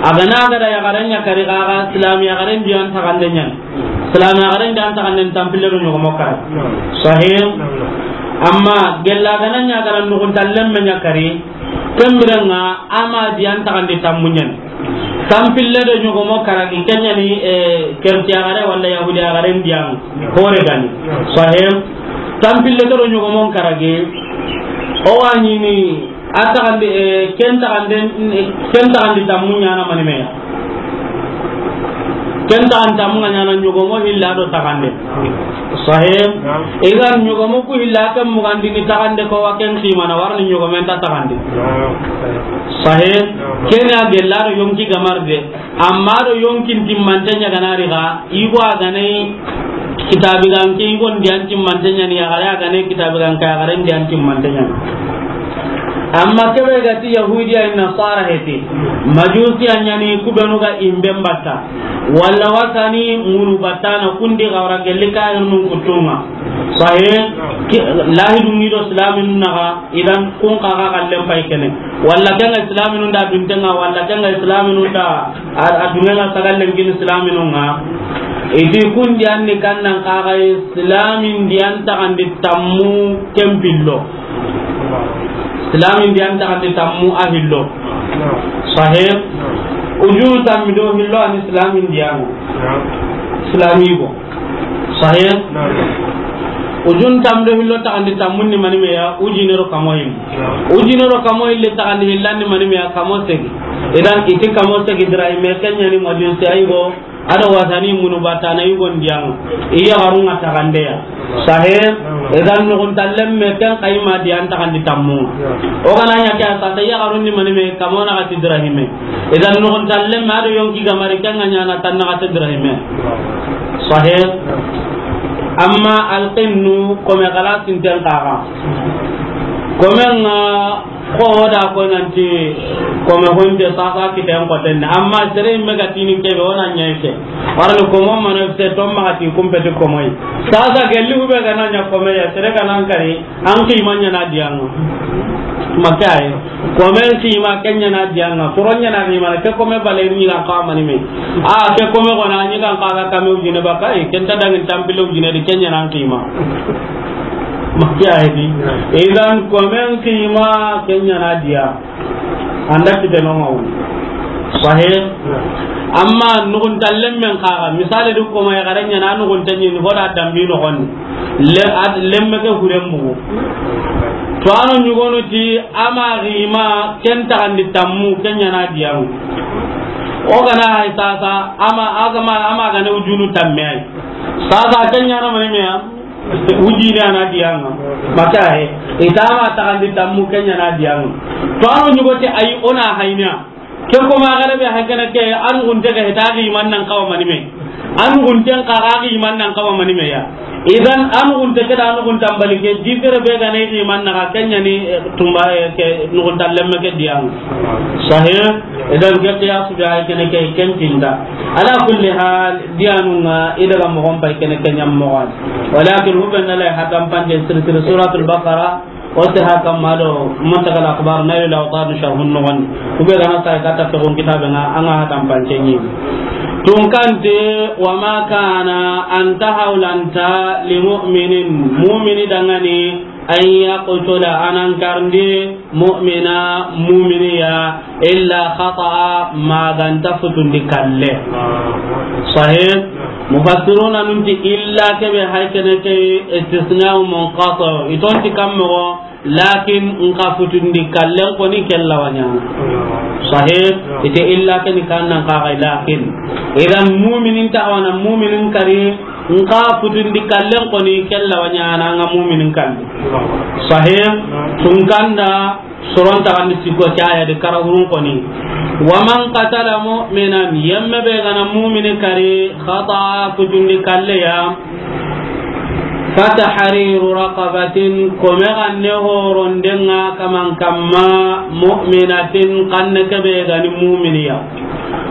A gana gada yaxaren ɲa kare kaga silami yaxaren diyan taxande ɲaana. Silami yaxaren diyan taxanden tampille do ɲogomo kara. Sahih. Amma gella gana ɲa gana nuguntallen me ɲa kari. Kembirenga a ma diyan taxandi tammu ɲa ni. Tampille do ɲogomo karagi kenya ni, eh, kerti yaxare walla Yahudi yaxaren diyan hore gani. Sahih. Tampille do ɲogomon karagi. O wa ɲini A taxandi, eh, ken taxande, ken taxandi tammu ɲaana mani meya. Ken taxandi tammu ŋa ɲaana ɲogomo hilla do taxande. Sahih. Idan ɲogomo ku hilla ken mugandini taxande ko wa ken ximana warni ɲogomen ta taxandi. Sahih. Kenya gella do yonki gamarde. Amma do yonkin timmante ɲa gana ri ga, i go a gane kitabi ganke, i go ndiyan timmante ɲa ni yaxare, a gane kitabi ganke, yaxare ndiyan timmante ɲa ni. Amma kebe ga ti Yahudiya in Nasara heti, Majusiya ɲa ni kubenu ga imben batta, walla wasani munu battana kundi gawra gelli kahirnun kuttunga. Sahih, ki-, lahidun ŋi do silaminun naga, idan kun kaga kallen pay kene. Walla kenga silaminun da duntenga, walla kenga silaminun da A, a dungana sagallen kini silaminun ŋa. Iti kundi anni kannan kaga silamin diyan taxandi tammu kempillo. Silamin diyan taxandi tammu a hillo. Sahih. Ujunu tammi do hillo ani silamin diyan. Silamigo. Sahih. Ujunu tammi do hillo taxandi tammun ni mani meya, ujinero kamoyin. Ujinero kamoyin le taxandi hillan ni mani meya, kamo segi. Idan iti kamo segi dirahime kenya ni majun si ayigo. Ado wasani munu batana yugon diyan. Iya garunga taxandeya. Sahih. Idan nugun tallem me ken kayma diyan taxandi tammu. O gana ɲa ke a sata iya garun ni mani me kamo na gati dirahime. Idan nugun tallem me ado yonki gamari ken ŋa ɲana tan na gati dirahime. Sahih. Amma alqinnu kome galasin ten kaga. Kome ŋa Ko da ko nanti kome honte sasa kiten ko tenne. Amma sere me ga tini kebe wona ɲaike. Warani komo mana se to ma ti kumpeti komoi. Sasa gelli hube ga na ɲa kome ya sere ga nan kari an ki manya na diyango. Makai. Kome ki ma kenya na dianga. Koronya na ni ma ke kome bale ni ga ka mani me. A ke kome ko na ni ga ka ga kame ujine bakai. Kenta dangin tampilo ujine di kenya na ki ma. Makiya hedi. Idan komen kima kenya na diya. Anda kite no ngawu. Sahih. Amma nugun tallem men kaga. Misali du koma ya garanya na nugun tanyi ni hoda dambi no hon. Le ad lemme ke huren bugu. To ano nyugonu ti ama rima ken taxandi tammu kenya na diya. O gana hay sasa ama agama ama gane ujunu tamme ay. Sasa kenya na mani meya. Ujine ana dianga. Maka he. Itama taxandi tammu kenya na dianga. To ano nyugo te ay ona hayna. Ke ko ma gare be hakene ke, an gunte ga hita gi man nan kawa mani me. An gunten ka ga gi man nan kawa mani me ya. Idan an gunte ke da an guntan bali ke, di fere be ga ne gi man na ga kenya ni, eh, tumba, eh, ke nugun talle me ke diyan. Sahih. Idan ke qiyas be hakene ke ken tinda. Ala kulli hal, diyanun ŋa i daga mogon pay kene ke ɲam mogon. Walakin hube na lay hatan pande siri siri Suratul Baqara, o te haka ma do Muntaqa al Akhbar, Nailul Awtar, Sharhun Nukhba. Hube gana sa kata to gon kitabe ŋa, an ŋa hatan pande ni. Tun kante, wa ma kana, an ta hawlanta, li mu'minin, mu'mini dangani, an yaqtula, a nan karndi, mu'mina, mu'miniya, illa khata'a, ma ganta futundi kalle. Sahih. Mufassiruna nunti illa kebe haykene ke istisna'u munqati'. I tonti kammo, lakin nka futundi kallen koni kella wanyana. Sahih. Ite illa keni kannan kaga lakin. Idan mu'minin ta wana mu'minin kari, nka futundi kallen koni kella wanyana nga mu'minin kalli. Sahih. Tunkanda soron ta kan sikko caya de karagurun koni. Wa man qatala mu'minan, yemme be gana mu'mini kari, khata, futundi kalle ya, fatahriru raqabatin, kome ganne horondenga kaman kamma, mu'minatin, kanne kebe gani mu'miniya.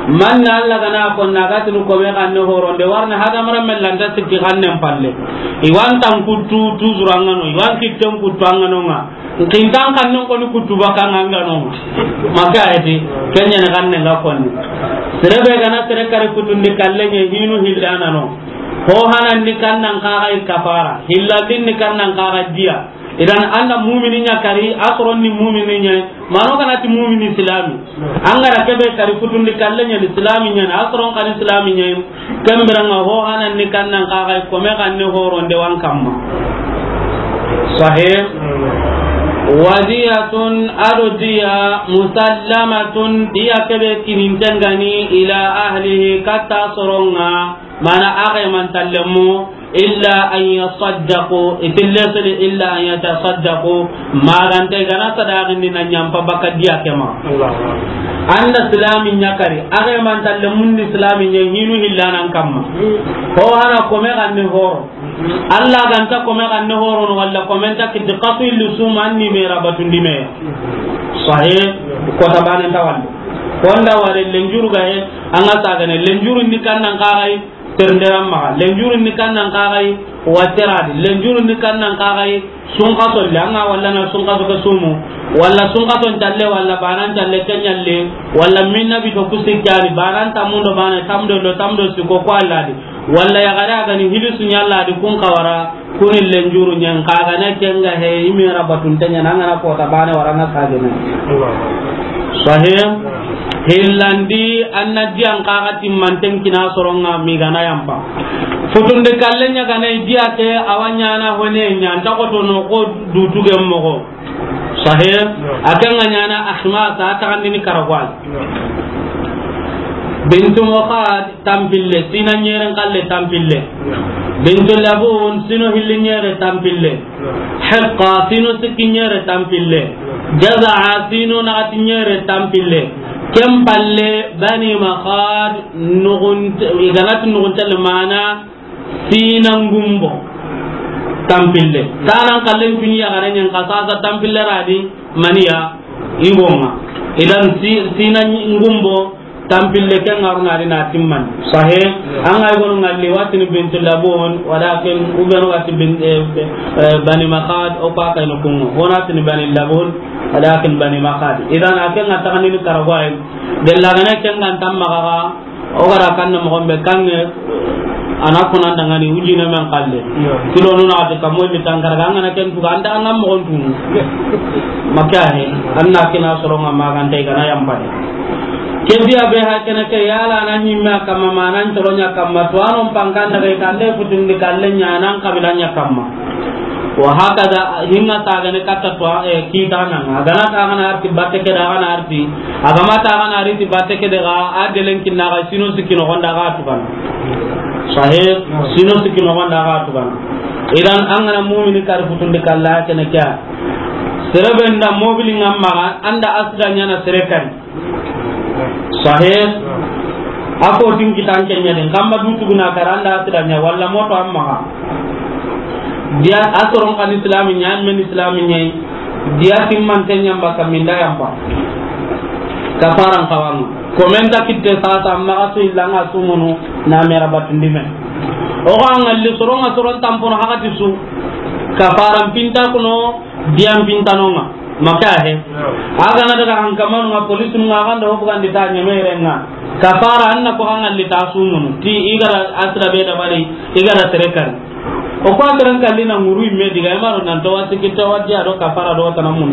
Manna Allah gana konna gatinu kome ganne horonde, warna hadamaren mellanta sikki gannen palle. Iwan tan kuttu tuzurangano, iwan kitten kuttu anganonga. Nkintan kannen koni kuttu bakanga anganonga. Maka eti, kenya ne gannen ga konni. Sere be gana sere kari kutundi kallenye hinu hillana no. Ho hanan ni kannan kaga i kafara, hillandin ni kannan kaga diya. Idan anda mumini nya kari, asron ni mumini nya, mano kana ti mumini islami. Angara kebe kari kutundi kallenye ni islami nya, asron kan islami nya. Kembiranga ho hanan ni kannan kaga i kome ganne horonde wan kamma. Sahih. Wadiyatun, ado diya, musallamatun, diya kebe kinintengani ila ahlihi, kata soronga. Mana axe man tallemu, illa an yasaddaqu, itille sili illa an yatasaddaqu, magante gana sadaqindi na nyampa baka diya kema. Allahu Akbar. Anda islami nya kari, axe man tallemun ni islami nya hinu hillanan kamma. Ho hana kome ganne horo. Allah ganta kome ganne horo no walla kome nta kiti kasu illu suma anni me rabatundi me. Sahih, ko tabane tawal. Konda wale lenjuru gahe, anga sagane lenjuru ni kannan kagai, Ternderan maxa, lenjurun ni kannan kaxay, wa teradi, lenjurun ni kannan kaxay, sunkaso le, anga walla na sunkaso ke sumu, walla sunkaso ntalle, walla banan ntalle ke nyalle, walla minna bito kusikkani, banan tamundo bana, tamdo do, tamdo siko ko alladi, walla yaxare a gani hilisu nyalladi kun kawara, kuni lenjuru nyen kaga na kenga he, imi rabatun tanya nanga na kota bana waranga kagena. Sahih. Hillandi, anna diyan kaga timmanten kina soronga migana yampa. Futunde kalle nya gana diya ke awanyana hone nya nta ko to no ko dutu gem mogo. Sahih. Akanga nyana ahmasa takandini karagwal. Bintu Mukhad tampille, sina nyeren kalle tampille. Bintu Labun, sino hilli nyere tampille. Hiqqa, sino sikki nyere tampille. Jaza'a, sino nagati nyere tampille. Ken palle, Bani Makhad, nugunte, iganati nugunte le mana, sina ngumbo tampille. Tanan kallen tuni ya garen nyen kasasa tampille radi, maniya, igonga. Idan si-, sina ngumbo, tampille ke ngaruna di na timman. Sahih. An ga gonu ngalli watini Bintu Labun, walakin ubenu wati bin, eh, eh, Bani Makhad, o pa kayno kungo. Wona tini Bani Labun, walakin Bani Makhad. Idan aken nga takandini karagwaye. Gella gana ken nga tamma kaga, o gara kanna mo gombe kange, ana kuna ndangani ujine men kalle. Kilo nuna ati kamo mi tankara ganga na ken tuga anda anga mo gontu. Makahe, anna kina soronga magante gana yambade. Ke biya be ha kene ke yala na nyimme a kamma, ma nan toronya kamma, to anon pankan daga i kande futundi kalle nya nan kabila nya kamma. Wa hakada hinga sagane katta to, eh, kita nan. Agana ta gana arti batte ke da gana arti. Agama ta gana arti batte ke daga adelen kinna ga sino sikino gonda ga tukana. Sahih, sino sikino gonda ga tukana. Idan an gana mu'mini kari futundi kalla kene kya. Serebe nda mobili ngamma anda asda nyana sere kari. Sahih. A ko tin kitan kenya den, kamma du tuguna karanda sida nya walla moto amma ga. Dia a soron kan islami nya, men islami nya. Dia timman tenya mba kaminda yamba. Kafaran kawang. Komenta kitte sasa amma asu ilanga sumunu na mera batundime. O ga ngalli soron, soron tampono hakati su. Kafaran pinta kuno, diam pinta nonga. Maka he. Aga na daga hankamanu nga police nga ganda hobu gandi ta nyemere nga. Kafara anna ko hangal li ta sumunu. Ti igara asra be da bari, igara terekan. O ko terekan li na nguru imme diga imaro nan to wasi kitta wadi ado kafara do tanamun.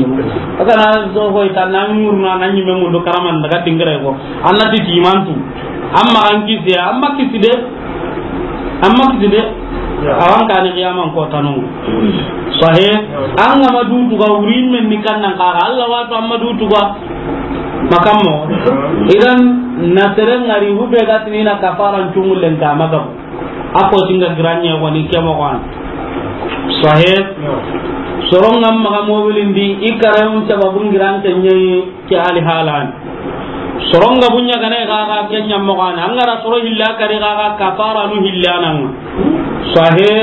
Aga na zo ho ita nan nguru na nan nyime mundu karaman daga dingare ko. Anna ti timantu. Amma an kisi, amma kisi de. Amma kisi de. Awan kani qiyaman ko tanu. Sahih. An ga ma du tuga wuri men ni kannan ka Allah wato amma du tuga. Makammo. Idan na sere ngari hube ga tinina kafaran cungullen ka magam. Ako tinga granye woni kemo wan. Sahih. Soron ngam maga mobilin di ikare un sababun giran tenye. Ke ali halan. Soronga bunya gana ga ga kenya mo gana. Angara soro hilla kari ga ga kafara nu hilla nan. Sahih.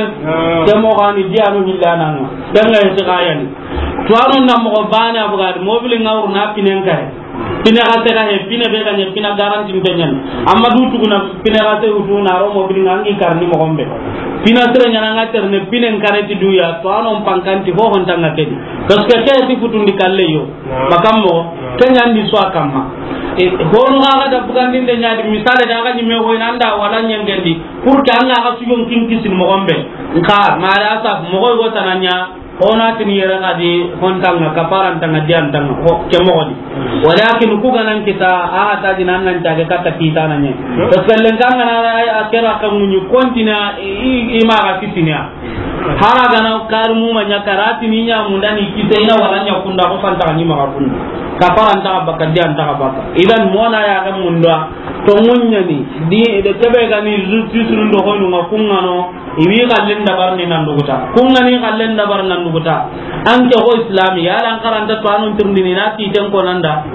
Ke mo gani dia nu hilla nan. Danga heti ga yani. To anu na mo bana buga mobili ngawru na pinen kare. Pine ga te ga he, pine be ga ne, pine garanti mbenyan. Amma du tuguna pine ga te utu na ro mobili ngangi karni mo gombe. Pine sere nyana nga terne pine kare ti duya. To anu pankanti ho hon tanga kedi. Parce que ke ti futundi kalle yo. Makammo, kenya ndi so akamma. E, hono ga ga da bugandinde nyadi, misale da ga ni me ho inanda wala nyengendi. Pour que anga ga suyon kin kisin mo gombe. Nka, mara asaf, mo go tananya, hona tin yere ga di, hon tanga, kafaran tanga, dian tanga, ho, ke mo di. Walakin ku ganan kita, a ta di nan nan tage kata kita nanye. Parce que len tanga na, a kera kan munyu kontina, i, i, i ma ga kitinya. Hara gana kar mu ma nya karati ni nya munda ni kite ina wala nya kunda ko fanta ni ma kunda. Kafara nta baka, dian ta baka. Idan mona ya ga munda to munya ni di de kebe ga ni justice ndo ko nga kungano iwi kallen dabar ni nan duguta. Kungani kallen dabar nan duguta. An ke ho islam ya lan karanta to anon tirndini na ti ten ko nanda.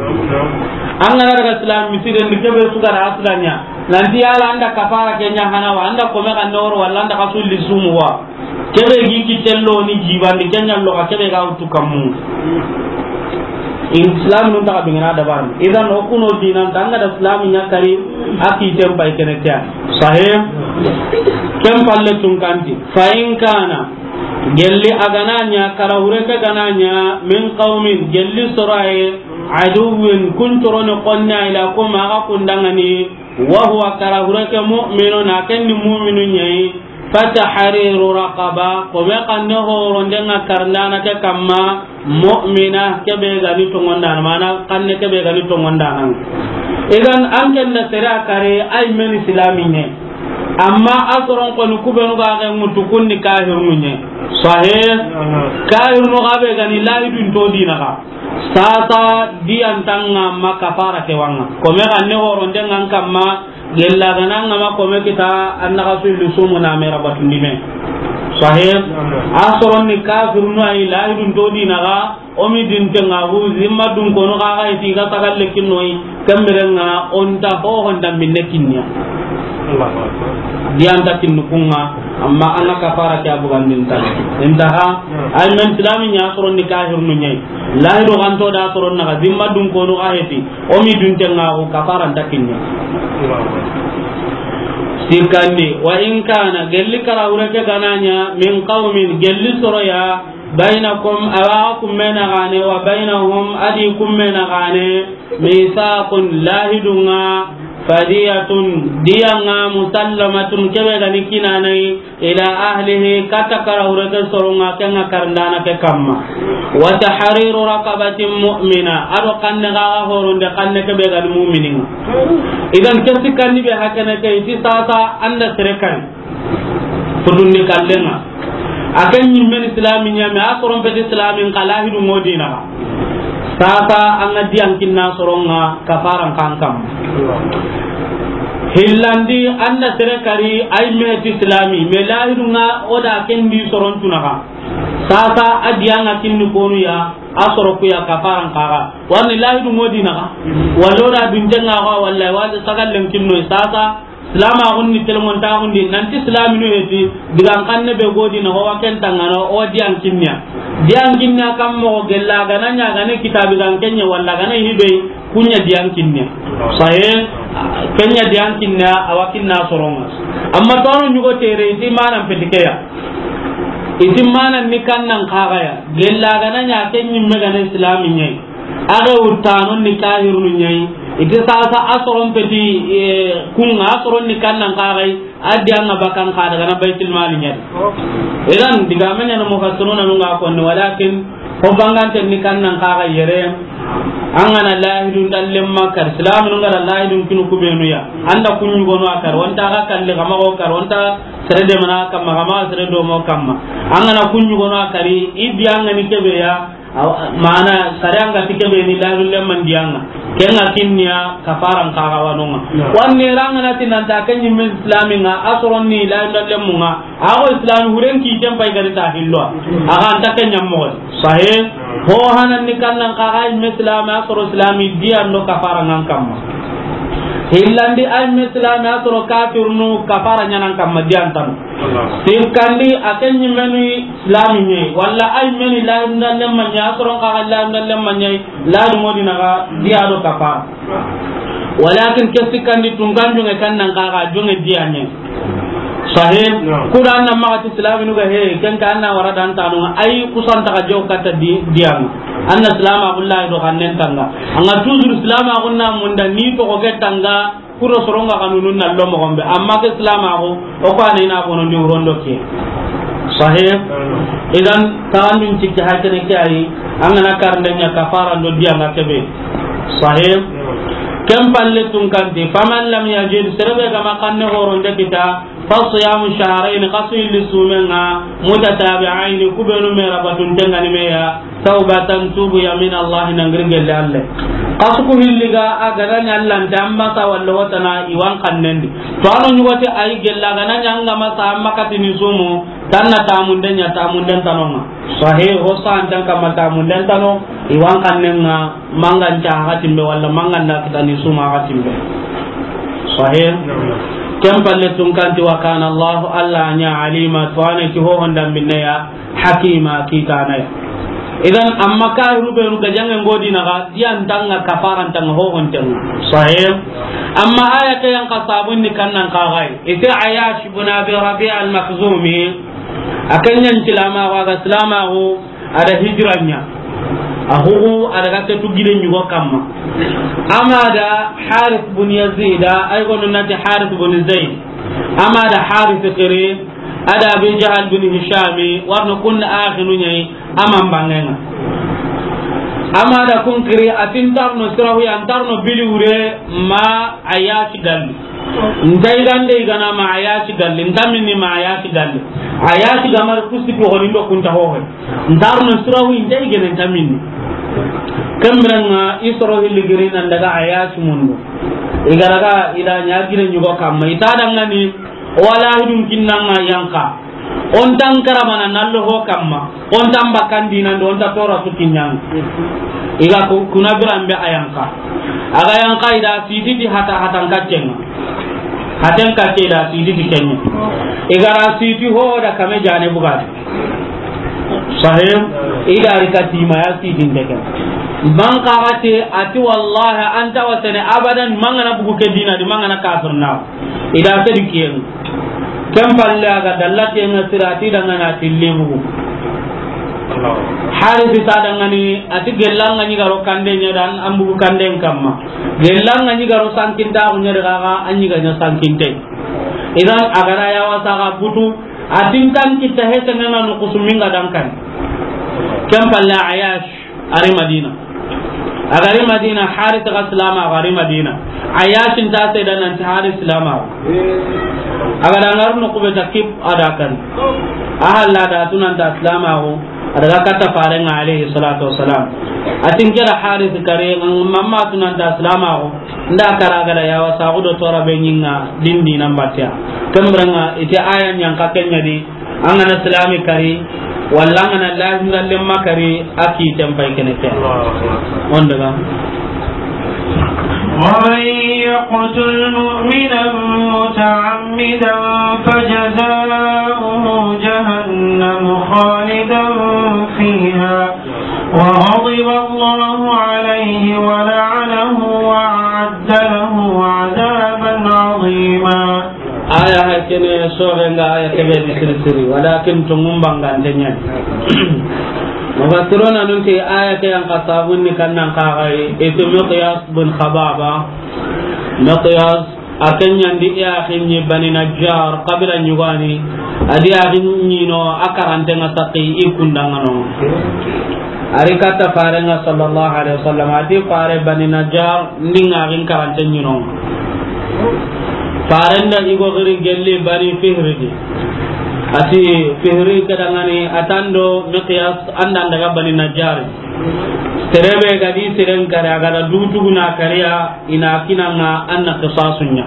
An ga na daga islam misiden di kebe su ga aslanya. Nanti yala anda kafara kenya hana wa anda kome ga noro wala anda kasulli sumu wa. Kebe gi kitello ni jibandi kenya lo ka kebe ga utu kammu. Islam nun ta bingana dabar. Idan o kuno dinan tanga da islam nya kari aki tempai kene kya. Sahih. Kem palle tun kanti. Fa in kana gelli agananya kara hureke gananya min qaumin gelli soraye aduwwin kuntoroni qonna ila kuma aga kundangani. Wa huwa kara hureke mu'minun, a ken ni mu'minu ɲa yi. Fatahriru raqaba, kome xanne horonde ŋa karndana ke kamma, mu'mina, kebe ga ni tongondana, mana xanne kebe ga ni tongondana. Idan an ken da sere a kare, ay men islami ne. Amma a soron koni kubenu ga ga mutu kunni kahirnu ɲa. Sahih. Kahirnu ga be ga ni lahidun to dina ga. Sasa diyan tanga ma kafara ke wanga. Kome xanne horonde ŋa kamma, gella gana ŋa ma kome kita, an na ga su illi sumu na mera batundi me. Sahih. A soron ni kafirnu ay lahidun to dina ga, o mi dinte ŋa hu zimma dun kono ga ga iti ga sagalle kinnoyi, kemmirenga onta ho honda minne kinniya. Allahu Akbar. Diyan ta kinnu kunga, amma an na kafara ke a bugandin tan. Intaha, ay men islami ɲa soron ni kahirnu ɲa yi. Lahidu ganto da soron na ga zimma dun kono ga heti, o mi dun tenga o kafara nta kinni. Sikandi, wa in kana, gelli kara hureke gananya, min qawmin, gelli soroya, bainakum, awa kummena gane, wa bainahum, adi kummena gane, misaqun, lahidunga, fadiyatun, diyanga, musallamatun, kebe gani kinanai, ila ahlihi, kata kara hureke soronga, kenga karndana ke kamma. Wa tahriru raqabatin mu'mina, ado xanne gaga horonde, xanne kebe gani mu'mininga. Idan kesi kanni be hakene ke, iti sasa anda sere kan. Futundi kallenga. A ken ɲimmen islami ɲame, a soron peti islamin ka lahidu ŋo dina. Sasa an ga diyan kinna soronga kafaran kan kam. Hillandi an da sere kari ay meti islami, me lahidu ŋa o da ken di soron tunaga. Sasa a diyan ŋa kinni konu ya, a soro ku ya kafaran kaga. Warni lahidu ŋo dina ga. Wallo da dunten ŋa ga, wallahi, wala sagallen kinno sasa. Silamaxun ni telmontaxun di, nanti silaminu heti, digan xanne be godi na, o wa ken tangana, o diyan kinniya. Diyan kinniya kam moxo gella, gana ɲa, gana kitabi gan kenye, walla gana hibe, kunya diyan kinniya. Sahe, kenya diyan kinniya, a wa kinna soronga. Amma to anu ɲugo tere, iti manan petikeya. Iti manan ni kannan kagaya. Gella gana ɲa, kenyi me gana islami ɲai. Aga wurtanon ni kahirunu ɲai. Iti sasa a soron peti, eh, kunga a soron ni kannan kagai. A diyan ŋa bakan ka daga na Baitul Mali ɲa. Idan, diga me ɲa na mufassiruna nunga konni, walakin, ho bangante ni kannan kagai yere. An gana lahidun dallen makar, silaminun ga da lahidun kinu kubenu ya. Anda kunyu gono akar, wanta ga kalli kama go kar, wanta sere de mana kama, kama sere do mo kama. An gana kunyu gono akari, i diyan ŋa ni kebe ya. Awa, mana sariyan ga ti kebe ni lahidun lemman diyan ŋa. Ken ŋa kinniya kafaran kaga wanonga. Wanne ranga na tinanta kenyi men islamin ŋa, a soron ni lahidun lemmun ŋa. Ago islami huren ki tempai gari ta hillo. Aga anta kenya mo. Sahe, ho hanan ni kannan kaga me islami, a soro islami diyan do kafaran ŋan kamma. Hillandi ay me islami, a soro kafirnu kafaran ɲanan kamma diyan tan. Sikkandi a kenyi menu Islami ɲe, walla ay meni lahidun dallen ma ɲe, a soron kaga lahidun dallen ma ɲe, lahidun ŋo dina ga diya do kafara. Walakin ke sikkandi tunkan jonge kannan kaga jonge diya ɲe. Sahe, kuda anna maxa ti silaminu ga he, ken ka anna wara dan tanu, ay kusanta ga jaw kata di, diya ŋa. Anna silamaxun lahidu xannen tanga. Anga toujours silamaxun na munda ni to ko ke tanga, Kuro soronga kanunun na lo moxon be, amma ke silamaxu, o ko a na i na bonondi wurondo ke. Sahe. Idan, taxandun cikki hakene ke ayi, an gana karnde ɲa kafara ndo diya ŋa kebe. Sahe. Ken palle tunkanti, faman lam yajid, serebe gama kanne horonde kita, fa siyamu shahrayn, kasu illi sumenga, mutatabi'ayn, kubenu me rabatun tengani meya, Tawbatan, tubu ya, min Allah, na ngiri gelle Allah. Kasu ku hilli ga a gada ɲa Allah nta amma sa walla wotana i wan kannendi. To ano ɲugote ay gella gana ɲa anga masa amma katini sumu, tanna tamunden ɲa tamunden tanonga. Sahe, ho sa antan kama tamunden tano, i wan kannenga mangan ca hakatimbe walla mangan da kitani suma hakatimbe. Sahe. Ken palle tunkanti wa kana Allah, Allah ɲa alima, to ane ti ho honda minne ya. Hakima kitana ya. Idan, amma kahiru benu ga jange ngodi na ga, diyan tanga kafaran tanga ho on tanga. Sahe. Amma aya ke yan kasabun ni kannan kagai. Ite Ayash ibn Abi Rabi' al-Makhzumi, akan yan silama wa ga silama ho, ada hijranya. Ahugu ada ga ketu giden yugo kamma. Amada Harith bin Yazid, ay gonu nati Harith bin Zaid. Amada Harith kiri, Ada Abi Jahal bin Hishami, warno kun axinu ɲayi, aman bangenga. Ama da kun kiri, atin tarno sirahu ya, an tarno bili wure, ma Ayash galli. Nta igande igana ma Ayash galli, nta minni ma Ayash galli. Ayash gamar kusi ko holindo kunta hohe. Ntarno sirahu inta igene nta minni. Kembranga isoro hilli giri nan daga Ayash mundu. Igaraga ida ɲa gire ɲugo kamma. Ita dangani, wala hidun kinnanga yanka. On tan karabana nallo ho kamma. On tan bakandi nan do on ta tora su kinyang. Iga ku-, kuna birambe ayanka. Aga yanka ida siti di hata hatan kaccenga. Haten kacce ida siti di kenya. Igara siti ho da kame jane bugati. Sahim, ida rika tima ya siti ndeke. Man qarate ati wallahi anta wasene abadan mangana bugu ke dina di mangana kafir na. Ida sedi kiyen. Ken palle aga dalla kiyen sirati dangana tilli bugu. Harisi ta dangani ati gellanga ni garo kande nya dan ambugu kanden kamma. Gellanga ni garo sankinta nya daga anyi ga nya sankinte. Idan agara ya wasa ga butu atin kan kita hete nana no kusuminga dankan. Ken palle Ayash. Ari Madina. Agari Madina, Haris ga silama, agari Madina. Ayash nta seda nanti Haris silama. Agada ngar no kube takib ada kan. Ahalla da tunanta silama go. Adaga kata farenga alayhi salatu wassalam. Atin kera Haris kare mamma tunanta silama go. Nda kara gada yawa sagudo tora be nyinga dindi nambatiya. Kembranga ite aya nyanka kenya di. An gana silami kari, Walla an ga na lahiran lemma kari, a ki tempay kene ke. On daga. ومن يقتل مؤمنا متعمدا فجزاؤه جهنم خالدا فيها وغضب الله عليه ولعنه وأعد له عذابا عظيما. Aya ha kene sorenga aya kebe di siri siri, walakin tungum bangante ɲani. Mufassiruna nun ti aya ke yan kasabun ni kannan kagai, itu Miqyas bin Khababa. Miqyas a ken ɲandi i axi ɲi Bani Najjar, kabila ɲugani, a di axi ɲi no a karante nga saki i kundangano. Ari katta farenga sallallahu alaihi wasallam, a ti fare Bani Najjar, ndi nga axin karante ɲi no. Faren da i go giri gelli Bani Fihri di. A ti Fihri ke dangani, a tando Miqyas, an da an daga Bani Najjar. Sere be ga di seren kari, a ga da du tuguna kariya, i na kinanga an na qisasunya.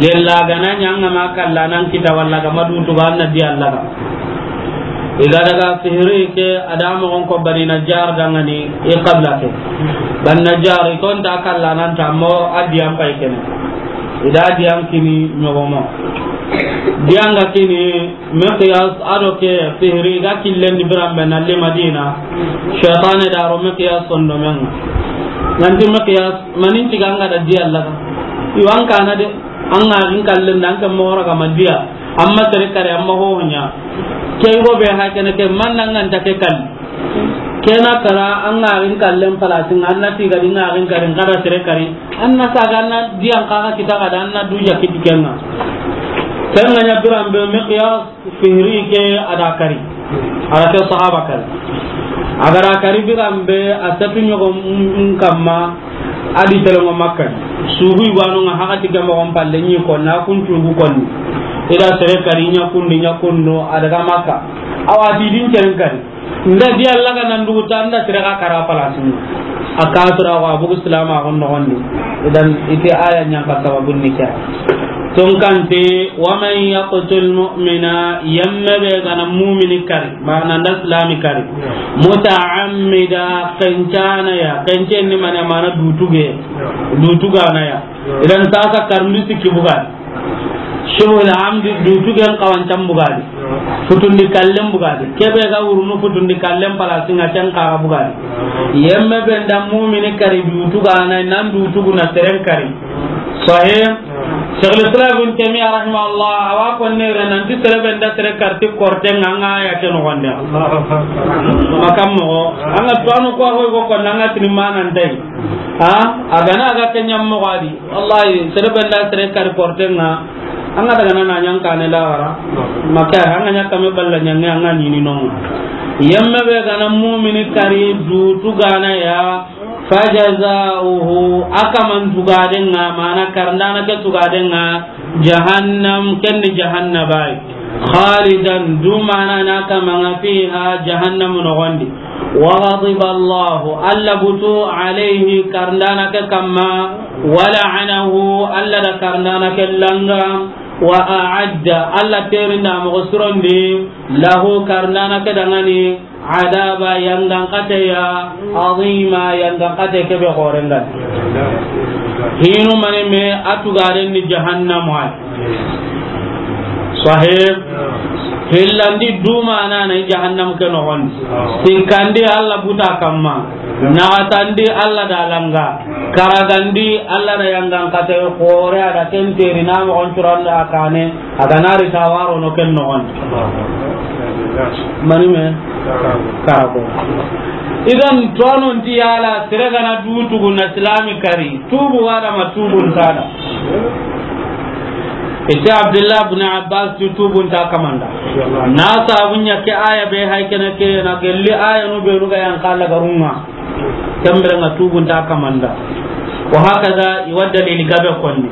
Gella ga na ɲa an ga ma kalla nan kita walla ga ma du tuga an na di Allah ga. I ga daga Fihri ke a da moxon ko Bani Najjar dangani i qabila ke. Bani Najjar i konta kalla nan ta mo a di an pay kene. I da di an kini ɲogomo. Di an ga kini Miqyas a do ke Fihri ga killen di biran be na le Madina. Shaytane da ro Miqyas sondomenga. Nanti Miqyas manin tiga an ga da di Allah ga. Iwan kana de. An ga axin kallen da an ke moxo ra ga ma diya. Amma sere kari, amma ho ɲa. Ke go be ha kene ke man nan an ta ke kal. Kena kara an ga axin kallen palasin an na tiga di nga axin kari, nga da sere kari. An na saga an na diyan kaga kita ga da an na du ja kiti kenga. Kenga ɲa biran be Miqyas Fihri ke a da kari. A da ke sahaba kari. A ga da kari biran be a satu ɲogo n-, n-, kamma a di telengo Makka. Sugu i wano nga hakati ke moxon palle ɲi ko na kun cugu konni. I da sere kari ɲa kundi ɲa kundo a daga Makka. Awa ti din ceren kari. Nda di Allah ga nan dugu ta nda sere ga kara palasin. A ka sura wa bugu silama gon nogondi. Idan ite aya ɲan ka sababun ni ke. Tonkante, wa man yaqtul mu'mina, yemme be ga na mumini kari, mana nda silami kari, muta'ammida, kencana ya, kencen ni mana, mana dutuge, dutugana ya. Idan sasa karndi sikki bugadi. Shibhul amdi, dutugen kawancan bugadi. Futundi kallen bugadi. Kebe ga wurunu futundi kallen palasinga ken kaga bugadi. Yemme be nda mumini kari dutugana, nan dutuguna seren kari. Sahih. Shaykhul Islam Ibn Taymiyyah rahimahullah, awa konne re nanti sere be nda sere karti korte nga nga ya ke nogonde. Makam moxo. Anga tuwano ko ho go ko nanga tini manan dai. Ha? A ga na ga ke ɲam moxo adi. Wallahi, sere be nda sere kari korte nga. Anga daga na ɲan kane la wara. Maka anga ɲa kame balla ɲange anga ɲini no. Yemme be ga na mumini kari dutugana ya. Fajazauhu, a kaman tugadenga, mana karndana ke tugadenga, jahannam, ken ni jahannaba yi. Khalidan, du mana na kamanga fiha, jahannam nogondi. Wa ghadiba Allahu, Alla butu, alayhi, karndana ke kamma, wa la'anahu, Alla da karndana ke langa, wa a'adda, Alla terinda moxo surondi, lahu, karndana ke dangani, adaba, yangan kateya, azima, yangan kate kebe xorengan. Hinu mani me a tugaren ni jahannam wa. Sahib. Hillandi duma na na jahannam ke nogon. Sikkandi Alla buta kamma. Naxatandi Alla da langa. Karagandi Alla da yangan kate xore a da ken teri na moxon curanda kane. A ga na ri tawaro no ken nogon. Mani me? Karabo. Idan, tonon ti yala, sere gana dutugu na silami kari. Tubu wada ma tubun tada. Ite Abdullah ibn Abbas tu tubun ta kamanda. Na sabunya ke aya be hay kene ke na gelli aya no be ruga yan kala garunga. Kembere nga tubun ta kamanda. Wa hakaza i wa dalili gabe konni.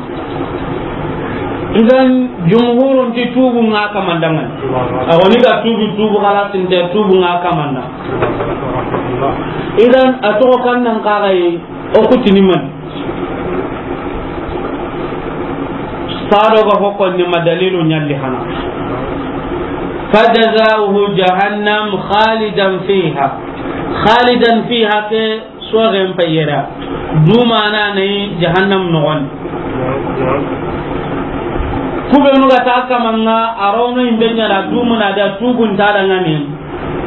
Idan jumhurun ti tubu nga kamanda ngan. Awoni ga tubu, tubu kala sinte tubu nga kamanda. Idan a toxo kan nan kaxay o kutini man. Sado ga hokon ni ma dalilu ɲalli hana. فجزاؤه جهنم خالدا فيها. خالدا فيها ke soxen payera. Dumana ne jahannam noxon. Kubenu ga ta kamanga, a rono imbe ɲa na dumuna da tugun ta dangani.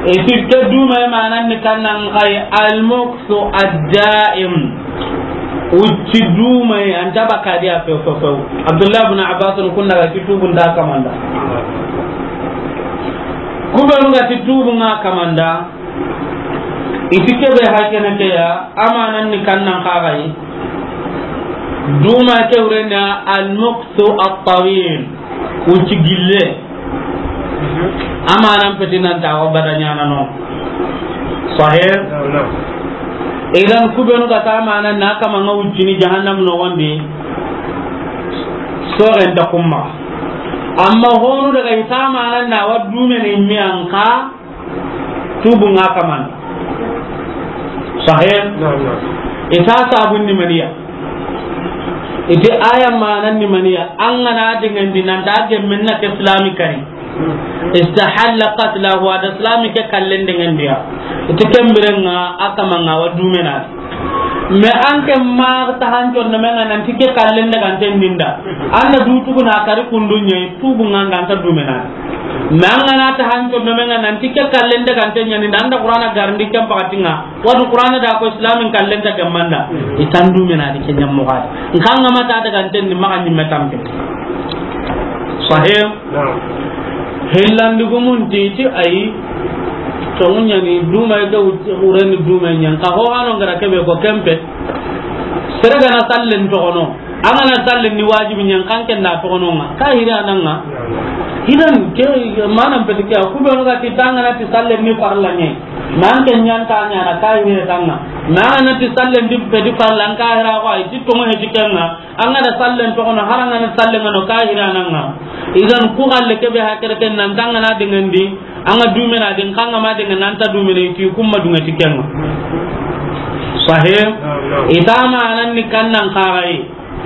E ti ke duma e manan ni kannan kai al-mukthu ad-da'im. Ucci duma e anta bakadiya few few few. Abdullah ibn Abbas kun daga ti tugun ta kamanda. Kubenu ga ti tugun ŋa kamanda. Iti kebe hakene ke ya, amanan ni kannan kagai. Duma ke wurena al-mukthu at-tawil. Ucci gille. Amanan petinan ta wa badanyana no. Sahih? Idan kubenu ga ta amanan na kamanga uccini jahannam noxondi. Soxen ta kumma. Amma honu daga i ta amanan na wa dumene miyanka. Tubu ŋa kaman. Sahih? Naam, naam. Ita sabun ni maniya. Iti aya manan ni maniya. An ga na dingandi nan ta gemmen na ke islami kari. Istahalla qatlahu, a da islami ke kallen dingandiya. Iti kembirenga a kamanga wa dumena. Mais an ke ma ta hanco no menga nan ti ke kallen daga anten dinda. An da du tubu na kari kundunye tubu ŋa an ta dumena. Mais an ga na ta hanco no menga nan ti ke kallen daga anten ɲani da an da Qur'ana garandi ken pakatinga. Wadu Qur'ana da ko islamin kallen ta gamanda. Itan dumena di ke ɲammo gadi. Nkanga ma ta daga anten ni maga nyimme tampe. Sahih? Naam. Hillandi gumun titi ayi. Tongunyani duma ga ureni duma nyan ka ho hano ngara kebe ko kempe. Sere ga na sallen togono. An ga na sallen ni wajibi nyan kan ken da togono nga. Kahiri ananga. Idan ke manan peti ke ku be ga ti tanga na ti sallen ni farla nyi. Man ken nyan ta nya na kahiri tanga. Manan ti sallen di pedi farla an kahira ko ayi ti tongo he ti kenga. An ga na sallen togono, har an ga na sallen ŋa no kahiri ananga. Idan ku galle kebe hakere ken nan tanga na dingandi, an ga dumena din kanga ma dinga nan ta dumene ti kumma dunga ti kenga. Sahih? Ita amanan ni kannan kagai.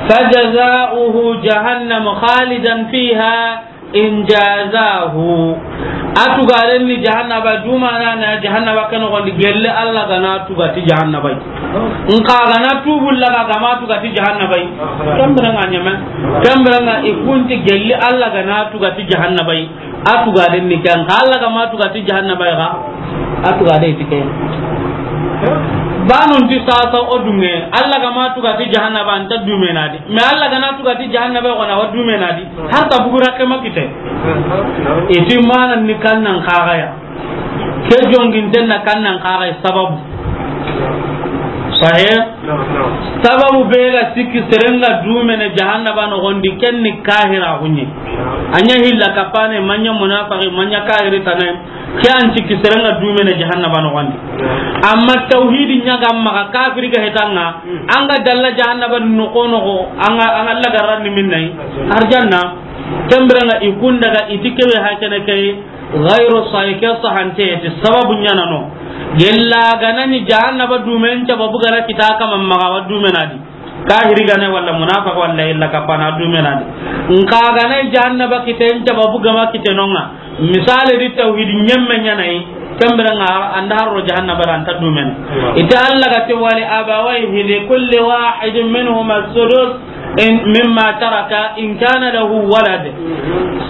Fajaza'uhu jahannam khalidan fiha. In jazahu. A tugaren ni jahannaba, dumana na jahannaba ke noxondi gelle Allah ga na tuga ti jahannaba yi. Nka ga na tubu laga ga ma tuga ti jahannaba yi. Kembere nga nyame. Kembere nga ikunti gelle Allah ga na tuga ti jahannaba yi. A tugaren ni kan ka Allah ga ma tuga ti jahannaba yi ga. A tugaren ti ke. Banun ti sasa o dunge Allah ga ma tuga ti jahannaba anta dumena di. Mais Allah ga na tuga ti jahannaba yi ga na wa dumena di. Har ta bugu rakke ma kite. Iti manan ni kannan kagaya. Ke jonginten na kannan kagaya sababu. Sahih? Sababu be ga sikki serenga dumene jahannaba noxondi ken ni kahira hunye. Anya hilla kapane manya munafaqi manya kahiri tanay. Ke an sikki serenga dumene jahannaba noxondi. Amma tawhidi nyaga maga kafiri ga hetanga. Anga dalla jahannaba noxo noxo anga anga lagaran ni minnay. Arjanna. Kembirenga ikundaga iti kebe hakene kay. Ghayru sahih ke sahante ti sababu nyana no. Gella ganani jahannaba dumen sababu gara kita kama maga wa dumenadi. Kahiri gane wala munafiq wala illa kapana dumenadi. Nka gane jahannaba kiten sababu gama kitenonga. Misale di tawhid nyemme nyanai. Kembirenga anda harro jahannaba ranta dumen. Ita Allah gati wali abawaihi li kulli wahidin minhuma sudus. In, mimma taraka in kana lahu walad.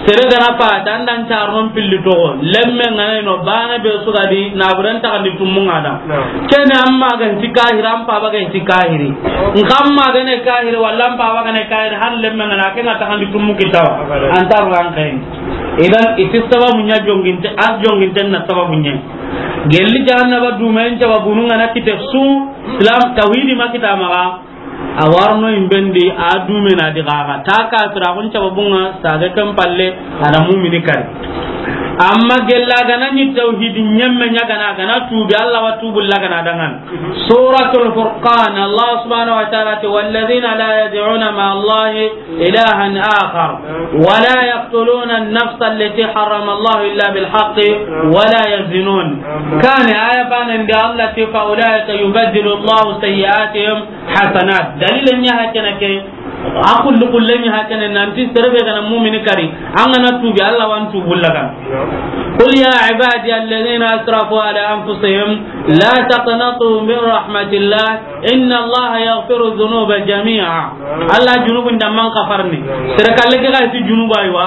Sere gana pa, tandan carnon pilli togo. Lemme ngana no bana be sugadi, na buran ta kandi tummu ngada. Kene amma gan ti kahiri, am pa ba gan ti kahiri. Nkamma gane kahiri, wala am pa ba gane kahiri, har lemme ngana ke ngata kandi tummu kitawa. Antar ran kain. Idan, iti sababu nya jonginte, ar jonginte na sababu nya. Gelli jahannaba dumen sababu ngana kite su, Islam, tawhidi makita maga. A warno imbendi a dumena di gaga ta kafira kun cababunga saga kan palle ada mumini kari. Amma gella gana ni tawhid nyemme nya gana gana tubi Allah wa tubu la gana dangan. Suratul Furqan, Allah subhanahu wa ta'ala te, والذين لا يدعون مع الله إلها آخر ولا يقتلون النفس التي حرم الله إلا بالحق ولا يزنون. Kan aya banen di Allah te, فأولئك يبدل الله سيئاتهم حسنات. Dalil nya hakana ke, A kulli kullen ɲi hakene nanti sere be ga na mumini kari, an ga na tuubi, Alla wa an tuubu lagana. قل يا عبادي الذين أسرفوا على أنفسهم لا تقنطوا من رحمة الله إن الله يغفر الذنوب جميعا. Alla junubun da man kafarni. Sere kalle ke ga ti junuba yi wa.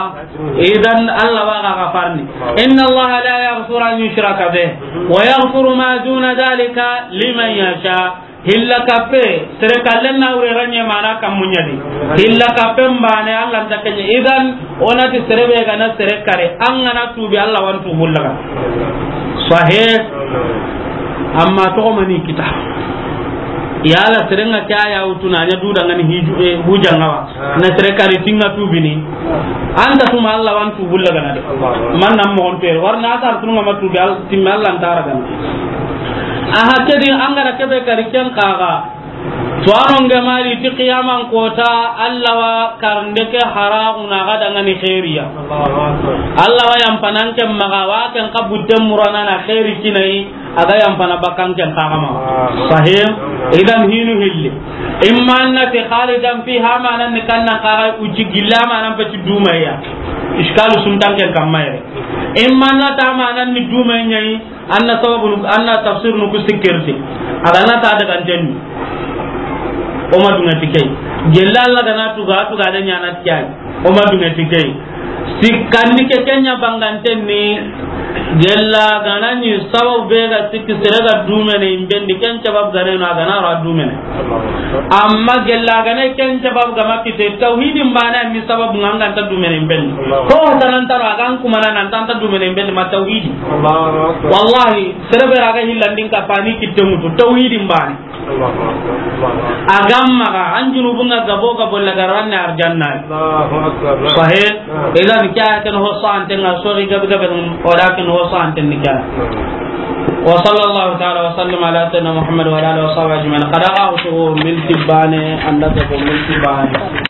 Idan Alla wa ga kafarni. إن الله لا يغفر أن يشرك به ويغفر ما دون ذلك لمن يشاء. Hilla kappe, sere kallen na wure ranye mana kammuɲa di. Hilla kappe mbane Alla nta kenɲe. Idan, o na ti sere be ga na sere kare, an ga na tuubi, Alla wa an tuubu laga. Sahih. Amma to mani kita. Yala sere nga kya ya wutuna nya du dangani hiju, eh, hujanga wa. Na sere kare tinga tuubini. An ta tuma Alla wa an tuubu lagana de. Man nan mo on ter. War na tar tunga ma tuubi Alla, timme Alla nta ragana. Aha, kedi an ga na kebe kari ken kaga. To ano nge mari ti qiyaman kota, Alla wa karnde ke haragu na ga dangani khairiya. Alla wa yampanan ke maga wa ken kabutte murana na khairi kinai, a ga yampana bakkan ken kaga ma. Sahih. Idan hinu hilli. Imma annati khalidan fiha, manan ni kannan kaga uci gilla, manan peti dumaya. Iskalu suntan ken kammayre. Imma annata manan ni dumaya. Anna sababu nu, anna tafsir nu ku sikkirti. A ga na ta daga ntenni. O ma dunga tikey. Gella Alla ga na tuga, tuga da ɲana tikey. O ma dunga tikey. Sikkanni ke kenya bangantenni. Gella ga na ni sababu be ga sikki sere ga dumene imbendi, ken sababu ga na no a ga na ra dumene. Amma gella ga na ken sababu ga ma kite, tawhidin bana ni sababu nga an ga nta dumene imbendi. Ko tanan taro a ga an kuma na nan ta nta dumene imbendi ma tawhidi. Allahu Akbar. Wallahi, sere be ra ga hillandin ka fani kitte mutu, tawhidin bani. Allahu Akbar. Allahu Akbar. A ga maga, an junubun ga gabo gabo la ga ranne arjanna. Allahu Akbar. Sahih. Ah. Idan kya ken ho sante nga sori gabe gabe nun, o da ken ho sante ni kya. Ah. وصلى الله تعالى وسلم على سيدنا محمد وعلى آله وصحبه أجمعين. Kada ga usu milti bane, anda ko milti bane.